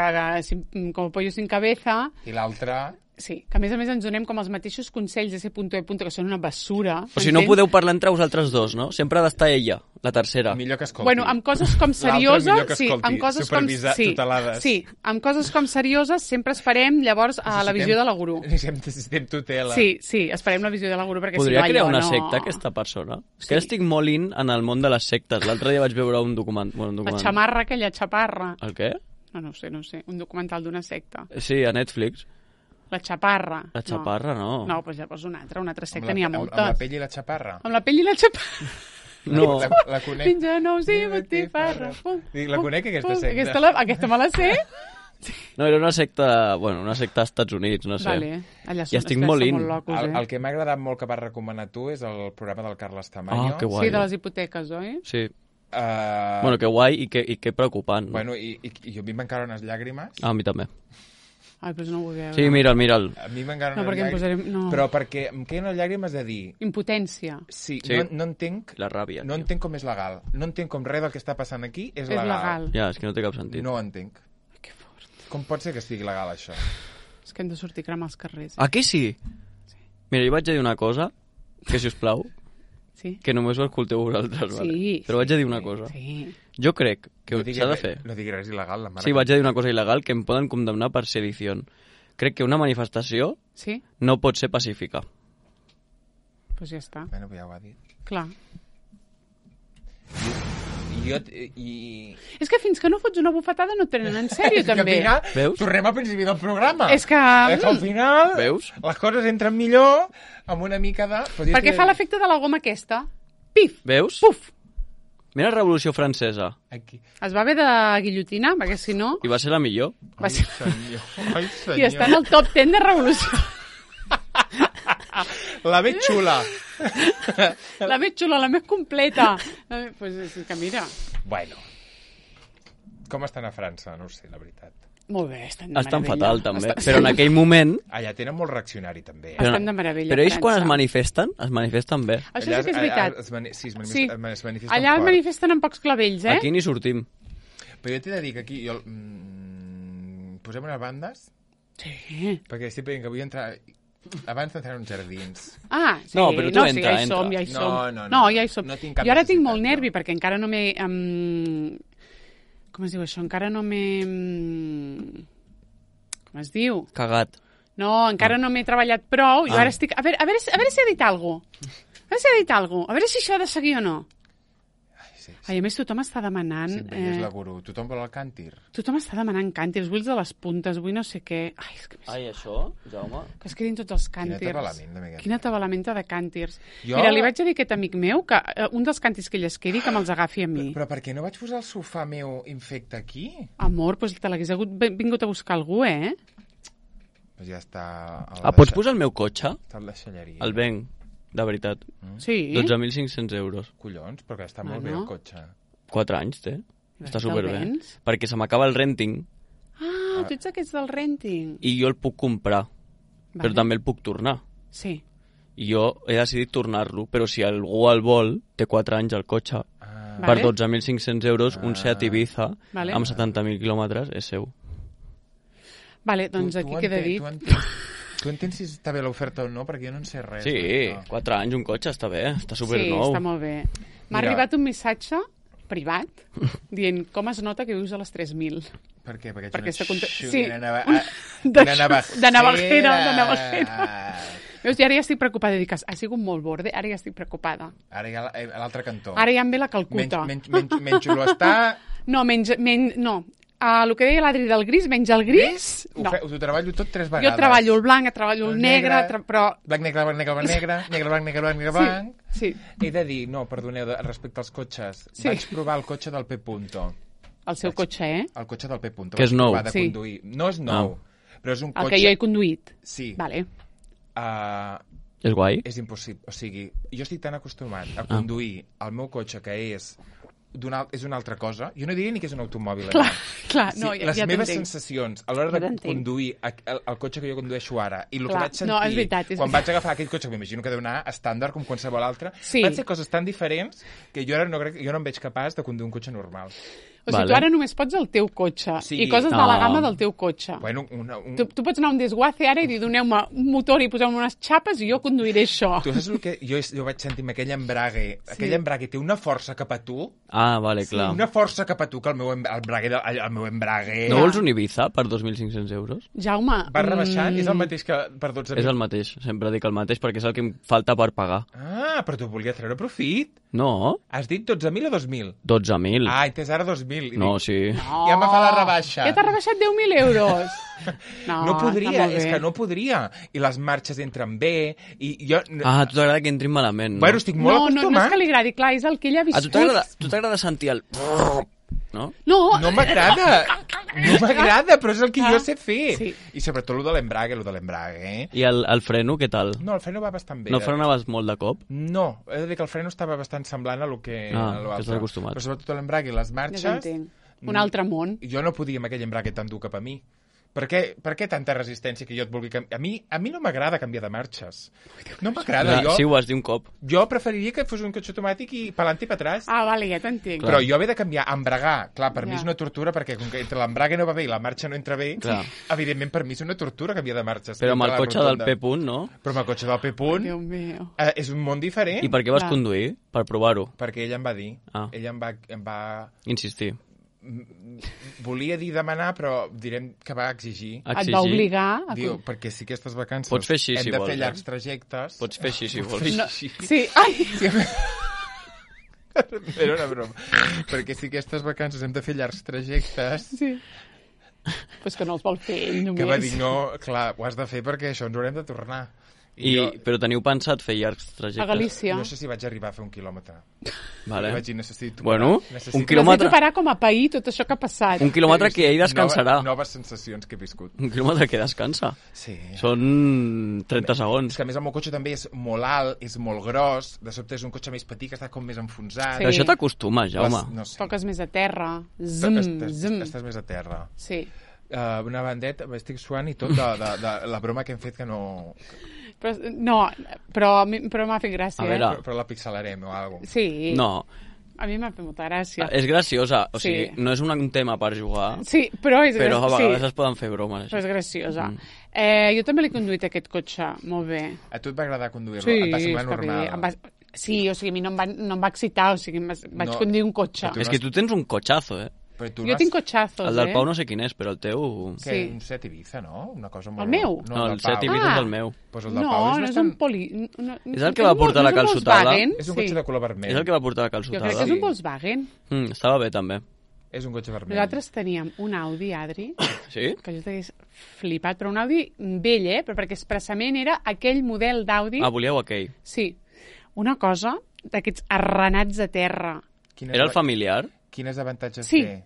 como pollo sin cabeza. I l'altra... Sí, que a més ens donem com els mateixos consells de C.E. que són una bessura. O si no podeu parlar entre vosaltres dos, no? Sempre ha d'estar ella, la tercera. Millor que escolti. Bueno, amb coses com serioses... L'altre millor que escolti, supervisar tutelades. Sí, amb coses com serioses sempre esperem llavors a la visió de la guru. Necessitem tutela. Sí, esperem la visió de la guru perquè podria si no... crear una secta, aquesta persona? És que estic molt in en el món de les sectes. L'altre dia vaig veure un documental. La xamarra, aquella xaparra. El què? No sé. Un documental d'una secta. Sí, a Netflix. La xaparra. La xaparra, no. No, doncs llavors una altra secta n'hi ha moltes. Amb la pell i la xaparra? Amb la pell i la xaparra. No. La conec. Fins a nou, sí, botifarra. La conec, aquesta secta. Aquesta me la sé. No, era una secta als Estats Units, no sé. Vale. Allà i estic molt in. El que m'ha agradat molt que vas recomanar tu és el programa del Carles Tamayo. Ah, que guai. Sí, de les hipoteques, oi? Sí. Bueno, que guai i que preocupant. Bueno, i a mi m'encara unes llàgrimes. A mi també. Ai, però no ho vull veure. Sí, mira'l. A mi m'encara unes llàgrimes. No. Però perquè em queden unes llàgrimes de dir... Impotència. Sí. No entenc... La ràbia. No entenc com és legal. No entenc com res del que està passant aquí és legal. Ja, és que no té cap sentit. No ho entenc. Que fort. Com pot ser que estigui legal, això? És que hem de sortir a cremar els carrers. Aquí sí? Mira, jo vaig a dir una cosa, que si us plau, que només ho escolteu vosaltres, vale? Però vaig a dir una cosa. Jo crec que s'ha de fer. No digui res il·legal, la mare. Sí, vaig a dir una cosa il·legal que em poden condemnar per sedició. Crec que una manifestació no pot ser pacífica. Doncs ja està. Bueno, ja ho ha dit. Clar. És que fins que no fots una bufetada no et prenen en sèrio, també. Veus? Tornem al principi del programa. És que al final veus? Les coses entren millor amb una mica de... Perquè fa l'efecte de la goma aquesta. Pif! Veus? Puf! Mira la Revolució Francesa. Aquí. Es va haver de guillotinar, perquè si no... I va ser la millor. Ai, senyor. I està en el top 10 de Revolució. La més xula. La més xula, la més completa. Pues és que mira. Bueno. Com estan a França? No ho sé, la veritat. Molt bé, estan de meravella. Estan fatal, també. Però en aquell moment... Allà tenen molt reaccionari, també. Estan de meravella, Però ells quan es manifesten bé. Això sí que és veritat. Es manifesten allà es manifesten amb pocs clavells, Aquí ni sortim. Però jo t'he de dir que aquí... Posem unes bandes? Sí. Perquè estic veient que vull entrar... Abans d'entrar en uns jardins. Ah, sí. No, però tu entra. Ja hi som. No, ja hi som. Jo ara tinc molt nervi, perquè encara no m'he... Com es diu això? Encara no m'he... Com es diu? Cagat. No, encara no m'he treballat prou. Jo ara estic... A veure si ha dit alguna cosa. A veure si això ha de seguir o no. Ai, a més, tothom està demanant... Sempre és la gurú. Tothom vol el càntir. Tothom està demanant càntirs. Vull els de les puntes, vull no sé què. Ai, això, Jaume? Que es quedin tots els càntirs. Quina tabalamenta de càntirs. Jo... Mira, li vaig dir a aquest amic meu que un dels càntirs que ell es quedi, que me'ls agafi a mi. Però per què no vaig posar el sofà meu infecte aquí? Amor, doncs te l'hagués vingut a buscar algú, Doncs ja està... Pots posar el meu cotxe? Està a la deixalleria. El venc. De veritat. Sí? 12.500 euros. Collons, perquè està molt bé el cotxe. 4 anys té. Està superbé. Perquè se m'acaba el renting. Ah, tu ets aquests del renting. I jo el puc comprar. Però també el puc tornar. Sí. I jo he decidit tornar-lo, però si algú el vol, té 4 anys el cotxe. Per 12.500 euros, un Seat Ibiza amb 70.000 quilòmetres és seu. Vale, doncs aquí queda dit. Tu entens si està bé l'oferta o no? Perquè jo no en sé res. Sí, 4 anys un cotxe està bé, està supernou. Sí, està molt bé. M'ha arribat un missatge privat dient com es nota que vius a les 3.000. Per què? Perquè de navajera. Veus, i ara ja estic preocupada. Dic, ha sigut molt borde, ara ja estic preocupada. Ara ja a l'altre cantó. Ara ja em ve la Calcuta. Menys xulo està... No, no. El que deia l'Adri del gris, menys el gris... No. Ho treballo tot 3 vegades. Jo treballo el blanc, treballo el negre, però... Blanc, negre, blanc, negre, blanc, negre, negre, blanc, negre, blanc, negre, blanc... Sí. He de dir, no, perdoneu, respecte als cotxes, vaig provar el cotxe del P. El seu cotxe, El cotxe del P. Que és nou. No és nou, però és un cotxe... El que jo he conduït. Sí. Vale. És guai? És impossible. O sigui, jo estic tan acostumat a conduir el meu cotxe, que és una altra cosa. Jo no diria ni que és un automòbil. Clar, no, ja les meves sensacions a l'hora de conduir el cotxe que jo condueixo ara i el que vaig sentir quan vaig agafar aquell cotxe, que m'imagino que deu anar estàndard com qualsevol altre, van ser coses tan diferents que jo ara no em veig capaç de conduir un cotxe normal. O sigui, tu ara només pots el teu cotxe i coses de la gamma del teu cotxe. Bueno, tu pots anar a un desguace ara i dir, doneu-me un motor i poseu-me unes xapes i jo conduiré això. Tu saps el que jo vaig sentir amb aquell embrague? Aquell embrague té una força cap a tu. Ah, vale, clar. Una força cap a tu que el meu embrague... No vols un Ibiza per 2.500 euros? Jaume... Va rebaixant? És el mateix que per 12.000? És el mateix, sempre dic el mateix perquè és el que em falta per pagar. Ah, però tu volies treure profit? No. Has dit 12.000 o 2.000? 12.000. Ah, entès ara 2.000. No, sí. Ja me fa la rebaixa. Ja t'ha rebaixat 10.000 euros. No podria, és que no podria. I les marxes entren bé. I jo... Ah, a tu t'agrada que entrin malament, no? Bueno, estic molt acostumat. No és que li agradi, clar, és el que ell ha viscut. A tu t'agrada sentir el... No? No m'agrada. No m'agrada, però és el que jo sé fer. Sí. I sobretot el de l'embrague. I el freno, què tal? No, el freno va bastant bé. No frenaves molt de cop? No, he de dir que el freno estava bastant semblant a lo que... que estàs acostumat. Però sobretot l'embrague i les marxes... Un altre món. Jo no podia amb aquell embrague tan dur cap a mi. Per què tanta resistència que jo et vulgui canviar? A mi no m'agrada canviar de marxes. No m'agrada. Sí, ho vas dir un cop. Jo preferiria que fos un cotxe automàtic i pa'lant i pa atrás. Vale, ja t'entenc. Però jo he de canviar, embragar. Clar, per mi és una tortura, perquè com que entre l'embrague no va bé i la marxa no entra bé, evidentment per mi és una tortura canviar de marxes. Però amb el cotxe del P. no? Però amb el cotxe del P. Déu meu. És un món diferent. I per què vas conduir? Per provar-ho? Perquè ella em va dir. Ella em va... Insistir. Volia dir demanar, però direm que va exigir. Et va obligar? Diu, perquè si aquestes vacances pots fer així, hem si de vols, fer llargs trajectes... Pots fer així, si vols. No. Sí, ai! Era una broma. Perquè si aquestes vacances hem de fer llargs trajectes... Sí. Pues que no els vol fer ell només. Que va dir, no, clar, ho has de fer perquè això ens haurem de tornar. Però teniu pensat fer llargs trajectes? A Galícia. No sé si vaig arribar a fer 1 quilòmetre. Vale. Vaig dir, necessito un quilòmetre... Necessito parar com a pair tot això que ha passat. 1 quilòmetre que ell descansarà. Noves sensacions que he viscut. 1 quilòmetre que descansa. Sí. Són 30 segons. És que a més el meu cotxe també és molt alt, és molt gros, de sobte és un cotxe més petit que està com més enfonsat. Sí. Però això t'acostumes, Jaume. No sé. Toques més a terra. Estàs més a terra. Sí. Una bandeta, estic suant i tot de la broma que hem fet que no... Però m'ha fet gràcia. A veure. Però la pixelarem o alguna cosa. Sí. No. A mi m'ha fet molta gràcia. És graciosa, o sigui, no és un tema per jugar. Sí, però és però a vegades es poden fer bromes. Però és graciosa. Jo també l'he conduït aquest cotxe, molt bé. A tu et va agradar conduir-lo? Sí, et va semblar normal? Sí, o sigui, a mi no em va excitar, o sigui, vaig conduir un cotxe. És que tu tens un cotxazo, Jo tinc cotxazos, El del Pau no sé quin és, però el teu... Que un Seat Ibiza, no? Una cosa molt... El meu? No, el Seat Ibiza és el meu. Pues el del Pau és bastant... És el que va portar la calçotada? És un cotxe de color vermell. És el que va portar la calçotada? Jo crec que és un Volkswagen. Estava bé, també. És un cotxe vermell. Nosaltres teníem un Audi, Adri, sí? que jo t'hagués flipat, però un Audi vell, però perquè expressament era aquell model d'Audi... volíeu aquell? Sí. Una cosa d'aquests arrenats a terra. Era el familiar? Quins avantatges té?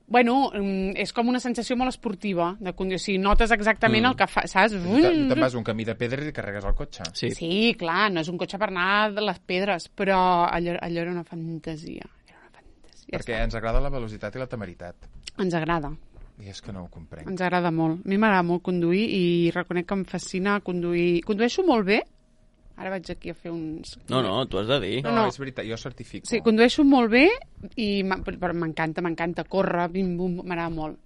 Bueno, és com una sensació molt esportiva de conduir. O sigui, notes exactament el que fa, saps? Te'n vas un camí de pedres i carregues el cotxe. Sí, clar, no és un cotxe per anar de les pedres, però allò era una fantasia. Perquè ens agrada la velocitat i la temeritat. Ens agrada. I és que no ho comprenc. Ens agrada molt. A mi m'agrada molt conduir i reconec que em fascina conduir. Condueixo molt bé. Ara vaig aquí a fer uns... No, t'ho has de dir. No, és veritat, jo certifico. Sí, condueixo molt bé i m'encanta córrer, bim-bum, m'agrada molt.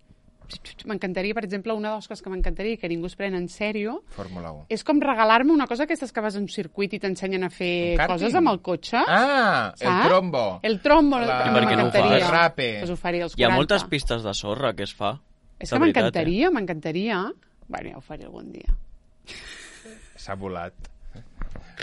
M'encantaria, per exemple, una de les coses que m'encantaria i que ningú es pren en sèrio... Fórmula 1. És com regalar-me una cosa aquestes que vas a un circuit i t'ensenyen a fer coses amb el cotxe. Saps? El trombo. El trombo, per què no ho fas? El rape. Pues ho faria als 40. Hi ha moltes pistes de sorra que es fa. És que m'encantaria. Bueno, ja ho faré algun dia. S'ha volat.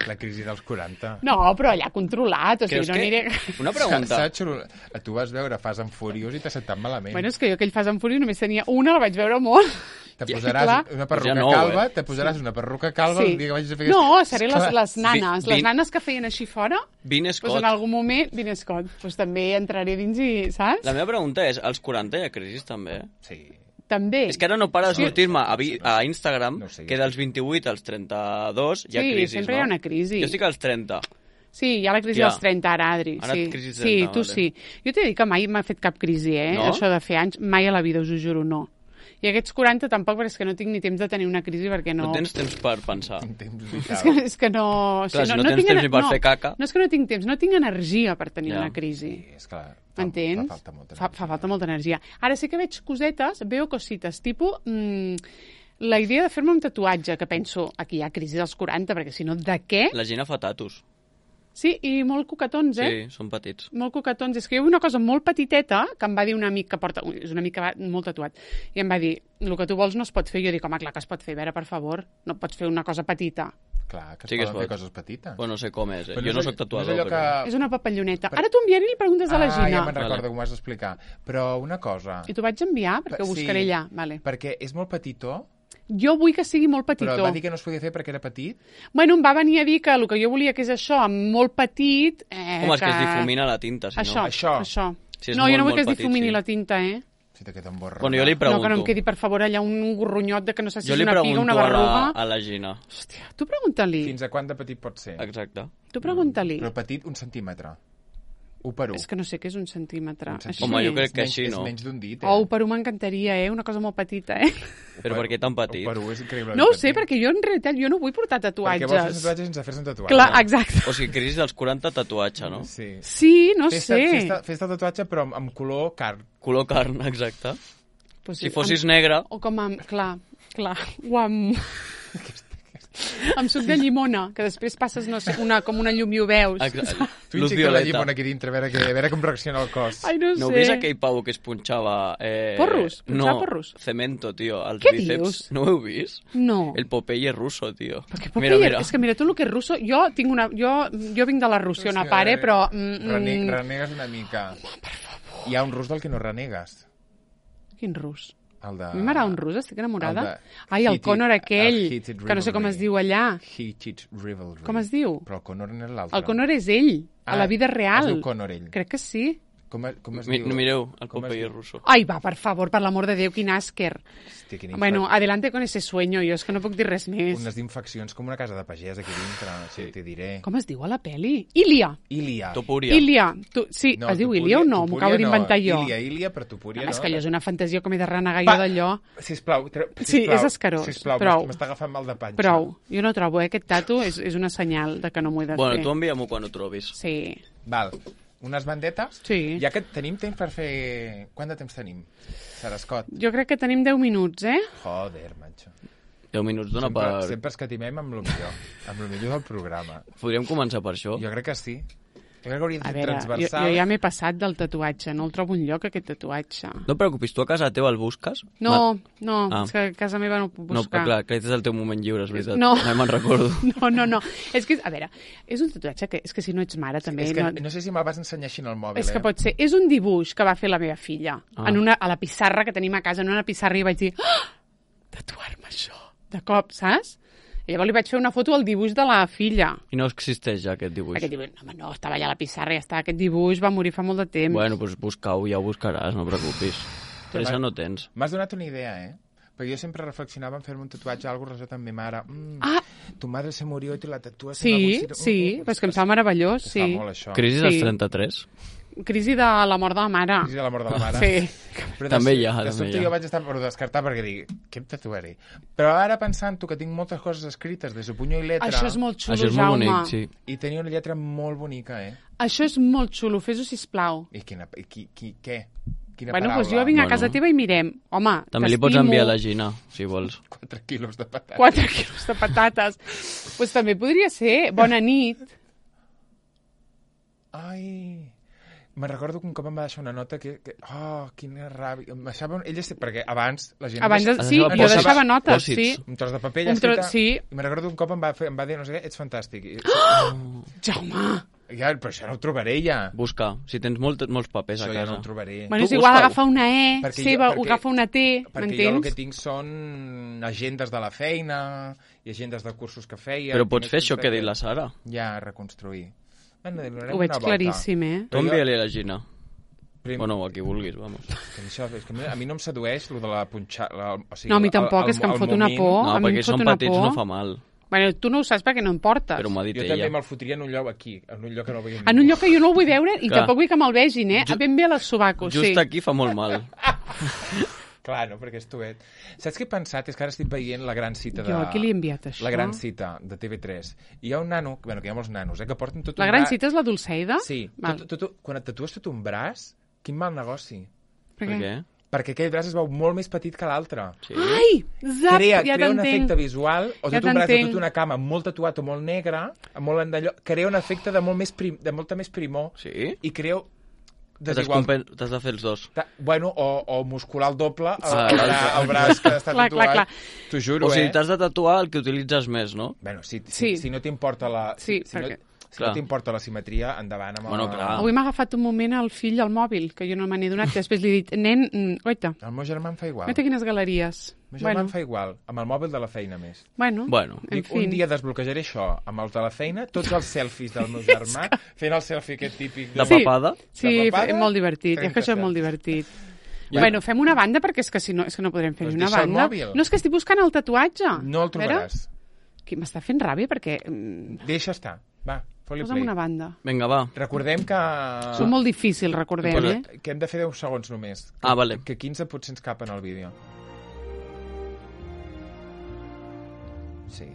La crisi dels 40. No, però allà controlat, o sigui, no aniré... Una pregunta. Tu vas veure Fast and Furious i t'ha sentat malament. Bueno, és que jo aquell Fast and Furious només tenia una, la vaig veure molt. Te posaràs una perruca calva, te posaràs una perruca calva el dia que vagis a fer... No, seré les nanes, les nanes que feien així fora. Vin Scott. Pues en algun moment, Vin Scott. Pues també entraré dins i, saps? La meva pregunta és, als 40 hi ha crisi també? Sí. També. És que ara no para de sortir-me a Instagram que dels 28 als 32 hi ha crisis, sempre hi ha una crisi. Jo estic als 30. Sí, hi ha la crisi dels 30 ara, Adri. Ara crisi 30, sí, tu vale. Sí. Jo t'he dit que mai m'ha fet cap crisi, No? Això de fer anys, mai a la vida, us ho juro, no. I aquests 40 tampoc, perquè és que no tinc ni temps de tenir una crisi, perquè no... No tens temps per pensar. És que no... Clar, si no tens temps ni per fer caca... No és que no tinc temps, no tinc energia per tenir una crisi. Sí, és clar. M'entens? Fa falta molta energia. Ara sí que veig cosetes, veo cosites, tipus... la idea de fer-me un tatuatge, que penso, aquí hi ha crisi dels 40, perquè si no, de què? La gent fa tatus. Sí, i molt coquetons, Sí, són petits. Molt coquetons. És que hi ha una cosa molt petiteta que em va dir un amic que porta... És un amic que va molt tatuat. I em va dir, el que tu vols no es pot fer. Jo dic, home, clar que es pot fer. A veure, per favor, no pots fer una cosa petita. Clar, que es poden fer coses petites. Bueno, no sé com és. Jo no soc tatuador. No és És una papalloneta. Ara t'ho enviaré i li preguntes a la Gina. Ja me'n recordo com ho has d'explicar. Però una cosa... I t'ho vaig enviar perquè ho buscaré allà. Vale. Perquè és molt petitó. Jo vull que sigui molt petitó. Però va dir que no es podia fer perquè era petit? Bueno, em va venir a dir que el que jo volia que és això, amb molt petit... Home, és que es difumina la tinta, si no. Això. Si no, jo no vull que es difumini la tinta, Si te queda un borró. Bueno, jo li pregunto. No, que no em quedi, per favor, allà un gorronyot de que no sé si és una piga, una Jo li berruga. pregunto a la Gina. Hòstia, tu pregunta-li. Fins a quant de petit pot ser? Exacte. Tu pregunta-li. Però petit, 1 centímetre. 1 per 1. És que no sé què és 1 centímetre. Home, jo crec que així, no? És menys d'un dit, 1 per 1 m'encantaria, una cosa molt petita, Però per què tan petit? 1 per 1 és increïble. No ho sé, perquè jo en realitat no vull portar tatuatges. Perquè vols fer tatuatges sense fer-se un tatuatge. Clar, exacte. O sigui, crisi dels 40 tatuatge, no? Sí, no sé. Fes-te el tatuatge, però amb color carn. Color carn, exacte. Pues si fossis negre... O com amb... Clar. O amb... amb suc de llimona, que després passes com una llum i ho veus. Tu injectes la llimona aquí dintre, a veure com reacciona el cos. Ai, no sé. No heu vist aquell pavo que es punxava... Porros? No, porros? cemento, tio, als Què bíceps. Dius? No ho heu vist? No. El Popeye ruso, tio. Perquè Popeye, és que mira, tu el que és ruso... Jo vinc de la Russiona, pare, però... Renegues una mica. Per favor. Hi ha un rus del que no renegues. Quin rus? A mi m'agrada un rus, estic enamorada. Ai, el Connor aquell, que no sé com es diu allà. Heated Rivalry. Com es diu? Però el Connor no és l'altre. El Connor és ell, a la vida real. Es diu Connor, ell. Crec que sí. Com es diu? Mireu, el Popeye ruso. Ai, va, per favor, per l'amor de Déu, quin àsquer. Hosti, bueno, adelante con ese sueño, jo és que no puc dir res més. Unes infeccions com una casa de pagès aquí dintre, sí, t'hi diré. Com es diu a la peli? Ilia. Topuria. Ilia. Sí, es diu Ilia o no? M'ho acabo d'inventar jo. Ilia, però Topuria no. És que allò és una fantasia com he de renegar jo d'allò. Sisplau. Sí, és escarós. Sisplau, m'està agafant mal de panxa. Prou. Jo no trobo, aquest tatu és una senyal de que no m'ho he de fer. Bueno, tu envia-m'ho quan ho trobis. Sí. Val. Unes bandetes? Sí. Ja que tenim temps per fer... Quant de temps tenim, Sarascot? Jo crec que tenim 10 minuts, Joder, macho. 10 minuts dona per... Sempre escatimem amb el millor del programa. Podríem començar per això? Jo crec que sí. Jo crec que hauria de ser transversal. Jo ja m'he passat del tatuatge, no el trobo enlloc, aquest tatuatge. No et preocupis, tu a casa teva el busques? No, és que a casa meva no ho puc buscar. No, però clar, aquest és el teu moment lliure, és veritat. No. Mai me'n recordo. No. És que, a veure, és un tatuatge que, és que si no ets mare també... És que no sé si me'l vas ensenyar així en el mòbil. És que pot ser. És un dibuix que va fer la meva filla a la pissarra que tenim a casa, en una pissarra, i vaig dir, tatuar-me això, de cop, saps? I llavors li vaig fer una foto al dibuix de la filla. I no existeix ja aquest dibuix? Aquest dibuix, no, estava allà a la pissarra i ja està. Aquest dibuix va morir fa molt de temps. Bueno, doncs busca-ho, ja ho buscaràs, no preocupis. Pressa no tens. M'has donat una idea, Perquè jo sempre reflexionava en fer-me un tatuatge, algo relacionat amb mi mare. Tu madre se murió i te la tatues. Sí, però és que em sembla meravellós, sí. Fa molt, això. Crisi dels 33? Crisi de la mort de la mare. Crisi de la mort de la mare. Sí. Però també hi ha. De sobte jo vaig estar per descartar perquè dic, què em tatuaré? Però ara pensant-ho que tinc moltes coses escrites de su puño i letra... Això és molt xulo, Jaume. Això és molt bonic, sí. I tenia una lletra molt bonica, Això és molt xulo, fes-ho, sisplau. I què? Quina bueno, paraula? Doncs jo vinc a casa teva i mirem. Home, també li pots enviar la Gina, si vols. 4 quilos de patates. 4 quilos de patates. Doncs també podria ser. Bona nit. Ai... Me'n recordo que un cop em va deixar una nota que quina ràbia. Perquè abans la gent... Sí, jo deixava notes, sí. Un tros de paper ja escrita. Sí. I me'n recordo que un cop em va dir, no sé què, ets fantàstic. Jaume! Ja, però això no ho trobaré ja. Busca. Si tens molts papers a casa. Això ja no ho trobaré. Bueno, és igual agafar una E seva o agafar una T, m'entens? Perquè jo el que tinc són agendes de la feina i agendes de cursos que feia. Però pots fer això que ha dit la Sara. Ja, reconstruir. Ho veig claríssim, Tu envia-li a la Gina. Bueno, a qui vulguis, vamos. És que a mi no em sedueix lo de la punxada... No, a mi tampoc, és que em fot una por. No, perquè són petits no fa mal. Bueno, tu no ho saps perquè no em portes. Però m'ha dit ella. Jo també me'l fotria en un lloc aquí, en un lloc que no veiem. En un lloc que jo no el vull veure i tampoc vull que me'l vegin, Ben bé a les sobacos, sí. Just aquí fa molt mal. Clar, no, perquè és tuet. Saps què he pensat? És que ara estic veient la gran cita de... Jo, a qui li he enviat això? La gran cita de TV3. I hi ha un nano, que hi ha molts nanos, que porten tot un braç... La gran cita és la Dulceida? Sí. Quan et tatues tot un braç, quin mal negoci. Per què? Perquè aquell braç es veu molt més petit que l'altre. Sí. Ai, zap, ja t'entenc. Crea un efecte visual, o tot un braç de tota una cama molt tatuat o molt negre, molt endallò, crea un efecte de molta més primor. Sí? I crea... T'has de fer els dos. Bueno, o muscular el doble el braç que està tatuat. T'ho juro, O sigui, t'has de tatuar el que utilitzes més, no? Bueno, si no t'importa la... Sí, Si no t'importa la simetria, endavant amb bueno, clar. Avui m'ha agafat un moment el fill al mòbil, que jo no me n'he donat, que després li he dit, nen, oita. El meu germà em fa igual. Mira quines galeries. El meu germà em fa igual, amb el mòbil de la feina més. Bueno, en fi. Un dia desbloquejaré això amb els de la feina, tots els selfies del meu germà, fent el selfie aquest típic. De papada? Sí, és molt divertit, és que això és molt divertit. Bueno, fem una banda, perquè és que si no, no podrem fer una banda. No, és que estic buscant el tatuatge. No el trobaràs. M'està fent ràbia perquè... Deixa estar, va. Posa'm una banda. Vinga, va. Recordem que... Són molt difícils, recordem, Que hem de fer 10 segons només. Vale. Que 15 potser ens capen al vídeo. Sí.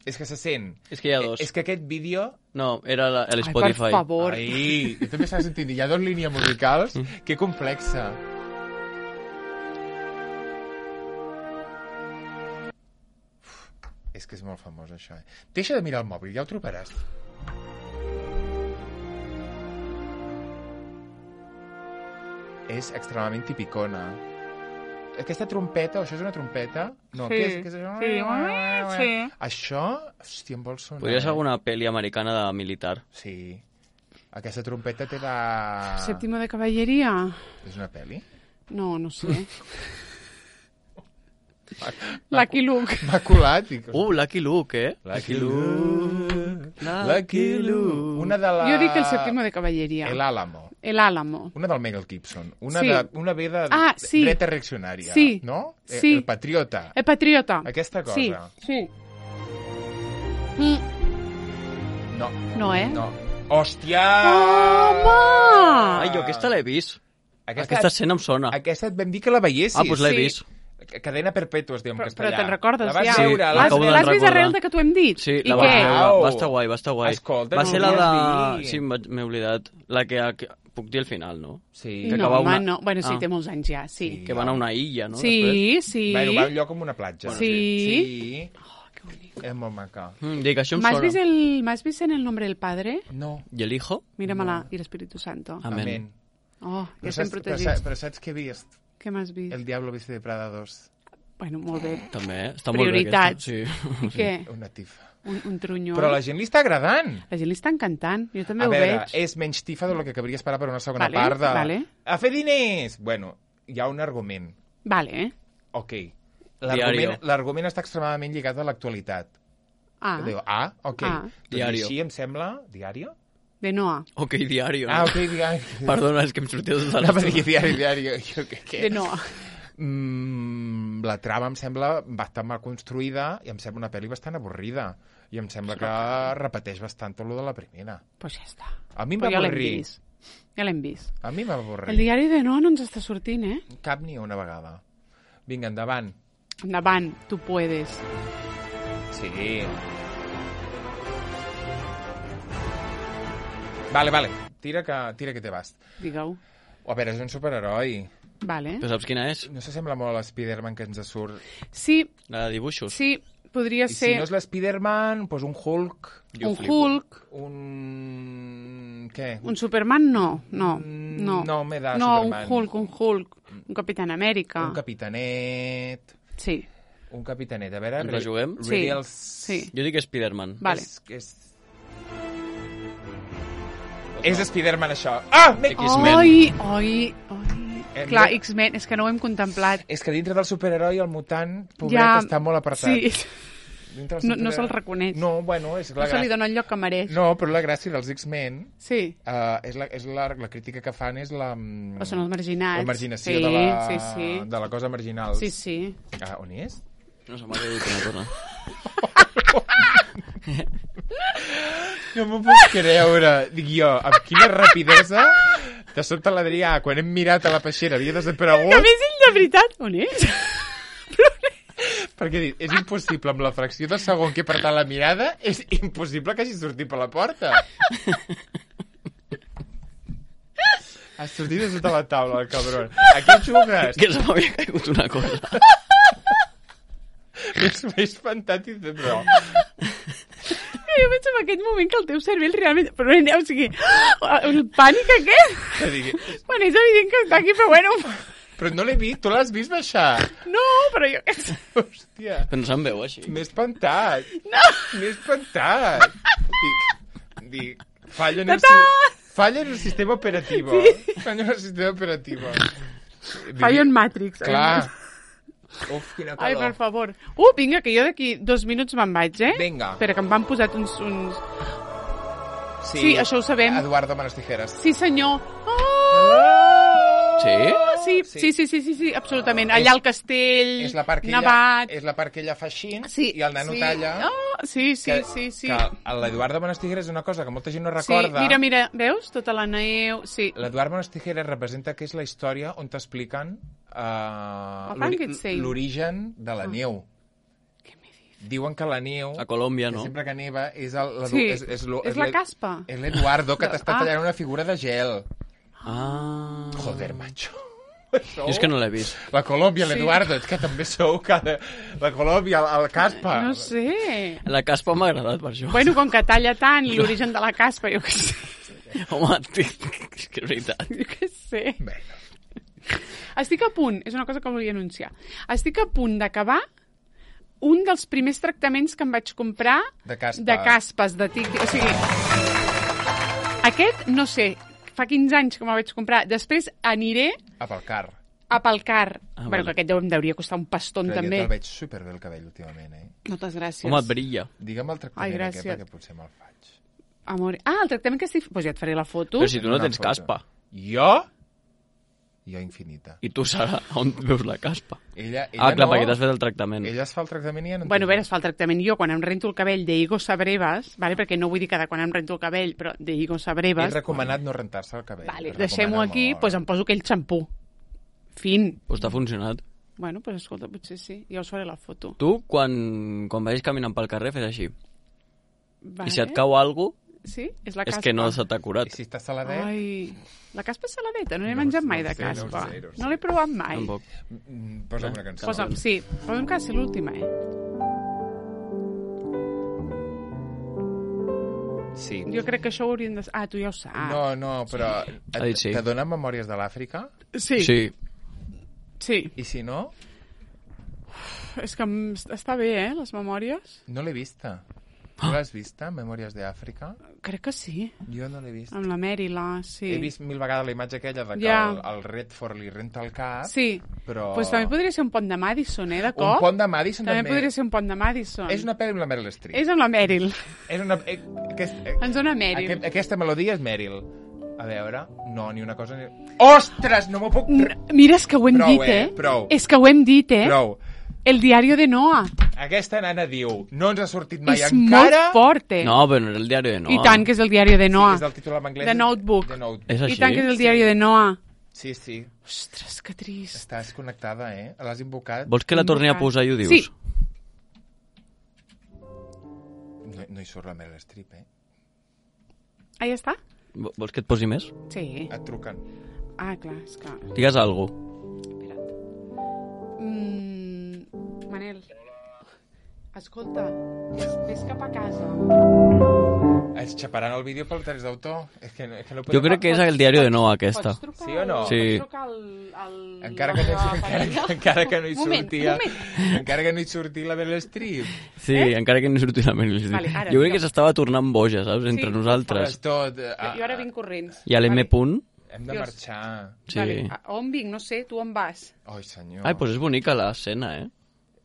És que se sent. És que hi ha dos. És que aquest vídeo... No, era l'Spotify. Ai, per favor. Ai, jo també estava sentint. Hi ha 2 línies musicals. Que complexa. És que és molt famós, això. Deixa de mirar el mòbil, ja ho trobaràs. És extremadament tipicona. Aquesta trompeta, això és una trompeta? No, sí. Què és això? Sí. Això, hòstia, em vol sonar. Podria ser alguna pel·li americana de militar. Sí. Aquesta trompeta té la... Séptimo de cavalleria? És una pel·li? No, no sé. Lucky Luke. M'ha colat. Lucky Luke, eh? Lucky Luke. Una de la... Jo dic el Séptimo de cavalleria. El Álamo. Una del Mel Gibson. Una ve de dreta reaccionària. Sí. No? Sí. El Patriota. El Patriota. Aquesta cosa. Sí. No. No, eh? No. Hòstia! Home! Ai, jo aquesta l'he vist. Aquesta escena em sona. Aquesta et vam dir que la veiessis. Doncs l'he vist. Cadena perpètua es diu en castellà. Però te'n recordes, la vas ja? veure? L'has vist arrel de que t'ho hem dit? Sí, la vaig veure. Va estar guai. Escolta, va ser la de... Sí, m'he oblidat. La que... Puc dir al final, no? Sí. No, home, no. Bueno, sí, té molts anys ja, sí. Que van a una illa, no? Sí, sí. Bueno, va a un lloc com una platja. Sí. Oh, que bonic. És molt maca. Dic, això em sona. ¿M'has vist en El nombre del padre? No. ¿Y el hijo? Míramela, i l'Espíritu Santo. Amén. Oh, ja estem protegits. Però saps què he vist? Què m'has vist? El Diablo viste de Prada 2. Bueno, molt bé. També, està molt bé aquesta. Sí. Què? Una tifa. Un trunyo. Però la gent li està agradant. La gent li està encantant. Jo també ho veig. A veig. És menys tifa del que cabria esperar per una segona part de... A fer diners! Bueno, hi ha un argument. Vale. Ok. L'argument està extremadament lligat a l'actualitat. Ok. Diario. Així em sembla... Diario? De Noa. Ok, diario. Ok, diario. Perdona, és que em sortia tot el... No, va dir diario. De Noa. La trama em sembla bastant mal construïda i em sembla una pel·li bastant avorrida. I em sembla que repeteix bastant tot lo de la primera. Pues ja està. A mi em va avorrir. Ja l'hem vist. A mi m'ha avorrit. El diari de Noa no ens està sortint, eh? Cap ni una vegada. Vinga, endavant. Endavant, tu puedes. Sí. Vale. Tira que te vas. Digue-ho. A veure, és un superheroi. Vale. Però saps quina és? No s'assembla molt a l'Spiderman que ens surt. Sí. La de dibuixos? Sí, podria ser... I si no és l'Spiderman, doncs un Hulk. Hulk. Què? Un Superman, no. No m'he de Superman. No, un Hulk. Un Capitán Amèrica. Un Capitanet. Sí. Un Capitanet. A veure... Ens la juguem? Sí. Jo dic Spiderman. Vale. És Spiderman, això. Ah! X-Men. Oi. Clar, X-Men, és que no ho hem contemplat. És que dintre del superheroi el mutant, pobret, està molt apartat. Sí. No se'l reconeix. No, bueno, és la gràcia. No se li dona el lloc que mereix. No, però la gràcia dels X-Men... Sí. És la crítica que fan és la... O són els marginats. La marginació de la cosa marginal. Sí. On és? No se m'ha dit una cosa. No m'ho puc creure. Dic jo, amb quina rapidesa de sobte l'Adrià, quan hem mirat a la peixera, havia desaparegut. Que a més ell de veritat, on és? Perquè és impossible, amb la fracció de segon que he apretat la mirada, és impossible que hagi sortit per la porta. Ha sortit de sota la taula, el cabron. A què jugues? Que se m'havia caigut una cosa. M'he espantat i tot, però... Jo veig en aquest moment que el teu cervell realment... Però, o sigui, el pànic aquest... Bueno, és evident que està aquí, però bueno... Però no l'he vist, tu l'has vist baixar? No, però jo... Hòstia. Però no se'n veu així. M'he espantat. No. M'he espantat. Dic, falla en el sistema operativo. Sí. Falla en el sistema operativo. Falla en Matrix. Clar. Uf, quina calor. Ai, per favor. Vinga, que jo d'aquí 2 minuts me'n vaig, eh? Vinga. Espera, que em van posat uns... Sí, això ho sabem. Eduardo Manos Tijeras. Sí, senyor. Sí? sí, absolutament. Allà al castell, nevat... És la part que ella fa així i el nano talla. Sí. Que l'Eduardo Bonastiguera és una cosa que molta gent no recorda. Sí, mira, veus? Tota la neu, sí. L'Eduardo Bonastiguera representa que és la història on t'expliquen l'origen de la neu. Diuen que la neu... A Colòmbia, no? Sempre que neva és la caspa. És l'Eduardo que t'està tallant una figura de gel. Joder, macho. Jo és que no l'he vist. La Colòmbia, l'Eduardo, és que també sou la Colòmbia, el caspa. No sé. La caspa m'ha agradat, per això. Bueno, com que talla tant i l'origen de la caspa, jo què sé. Home, és que és veritat. Jo què sé. Bueno. Estic a punt, és una cosa que volia anunciar, estic a punt d'acabar un dels primers tractaments que em vaig comprar de caspes, de tic. O sigui, aquest, no sé, fa 15 anys que me'l vaig comprar. Després aniré... A Palcar. Bueno, que aquest em deuria costar un pastón, però també. Però jo te'l veig superbé el cabell últimament, Moltes gràcies. Home, et brilla. Digue'm el tractament aquest, perquè potser me'l faig. El tractament que estic... Pues ja et faré la foto. Però si tu no tens caspa. Jo? Jo infinita. I tu, Sara, on veus la caspa? Ella clar, perquè t'has fet el tractament. Ella es fa el tractament i ja no... Bueno, a veure, es fa el tractament. Jo, quan em rento el cabell de Higo Sabrevas, vale? Perquè no vull dir cada quan em rento el cabell, però de Higo Sabrevas... És recomanat no rentar-se el cabell. Vale, deixem-ho aquí, doncs em poso aquell xampú. Fin. Pues t'ha funcionat. Bueno, pues escolta, potser sí. Ja us faré la foto. Tu, quan vagis caminant pel carrer, fes així. Vale. I si et cau alguna cosa... Sí? És la caspa. És que no se t'ha curat. I si està saladet? Ai, la caspa és saladeta, no n'he menjat mai de caspa. No l'he provat mai. Tampoc. Posa'm una cançó. Posa'm que ser l'última, Sí. Jo crec que això ho hauríem de... Tu ja ho saps. No, però... Te donen Memòries de l'Àfrica? Sí. I si no? És que està bé, les memòries. No l'he vista. Tu l'has vista, Memòries d'Àfrica? Crec que sí. Jo no l'he vist. Amb la Mèrila, sí. He vist 1000 vegades la imatge aquella de que el Redford li renta el cap. Sí, però... Pues també podria ser un pont de Madison, de cop. Un pont de Madison també. També podria ser un pont de Madison. És una pel·li amb la Meryl Streep. És amb la Meryl. És una... Ens dona Meryl. Aquesta melodia és Meryl. A veure, no, ni una cosa ni... Ostres, no m'ho puc... Mira, és que ho hem dit, Prou. És que ho hem dit, Prou. El diario de Noah. Aquesta nana diu, no ens ha sortit mai és encara... És molt fort, No, però no és el diari de Noah. I tant que és el diari de Noah. Sí, és el títol en anglès. The Notebook. És així? I tant que és el diari de Noah. Sí. Ostres, que trist. Estàs connectada, L'has invocat. Vols que la torni a posar i ho dius? Sí. No hi surt la Meryl Streep, Ja està? Vols que et posi més? Sí. Et truquen. Clar, és que... Digues alguna cosa. Manel, escolta, ves cap a casa. Es xaparan el vídeo pel drets d'autor. Jo crec que és el diari de Noah, aquesta. Sí o no? Sí. Encara que no hi sortia... Encara que no hi sortia la Meryl Streep. Sí, encara que no hi sortia la Meryl Streep. Jo crec que s'estava tornant boja, saps? Entre nosaltres. Jo ara vinc corrents. I a l'M. Hem de marxar. Sí. On vinc? No sé, tu on vas? Ai, senyor. Ai, doncs és bonica l'escena,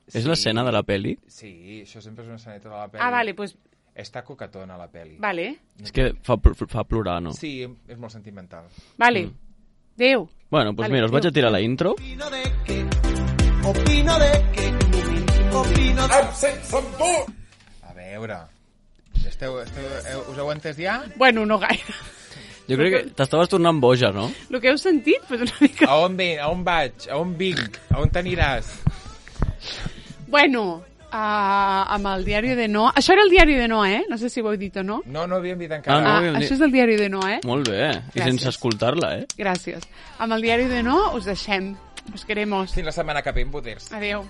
És l'escena de la peli? Sí, això sempre és una esceneta de la peli. Vale, doncs... Està coquetona, la peli. Vale. És que fa plorar, no? Sí, és molt sentimental. Vale. Adéu. Bueno, doncs mira, us vaig a tirar la intro. A veure... Us heu entès ja? Bueno, no gaire. Jo crec que t'estaves tornant boja, no? El que heu sentit, pues una mica... A on vaig? A on vinc? A on t'aniràs? Bueno, amb el diari de Noah... Això era el diari de Noah, No sé si ho heu dit o no. No havíem dit encara. Això és el diari de Noah, Molt bé, i sense escoltar-la, Gràcies. Amb el diari de Noah us deixem. Us queremos. Fins la setmana que ve, poders. Adéu.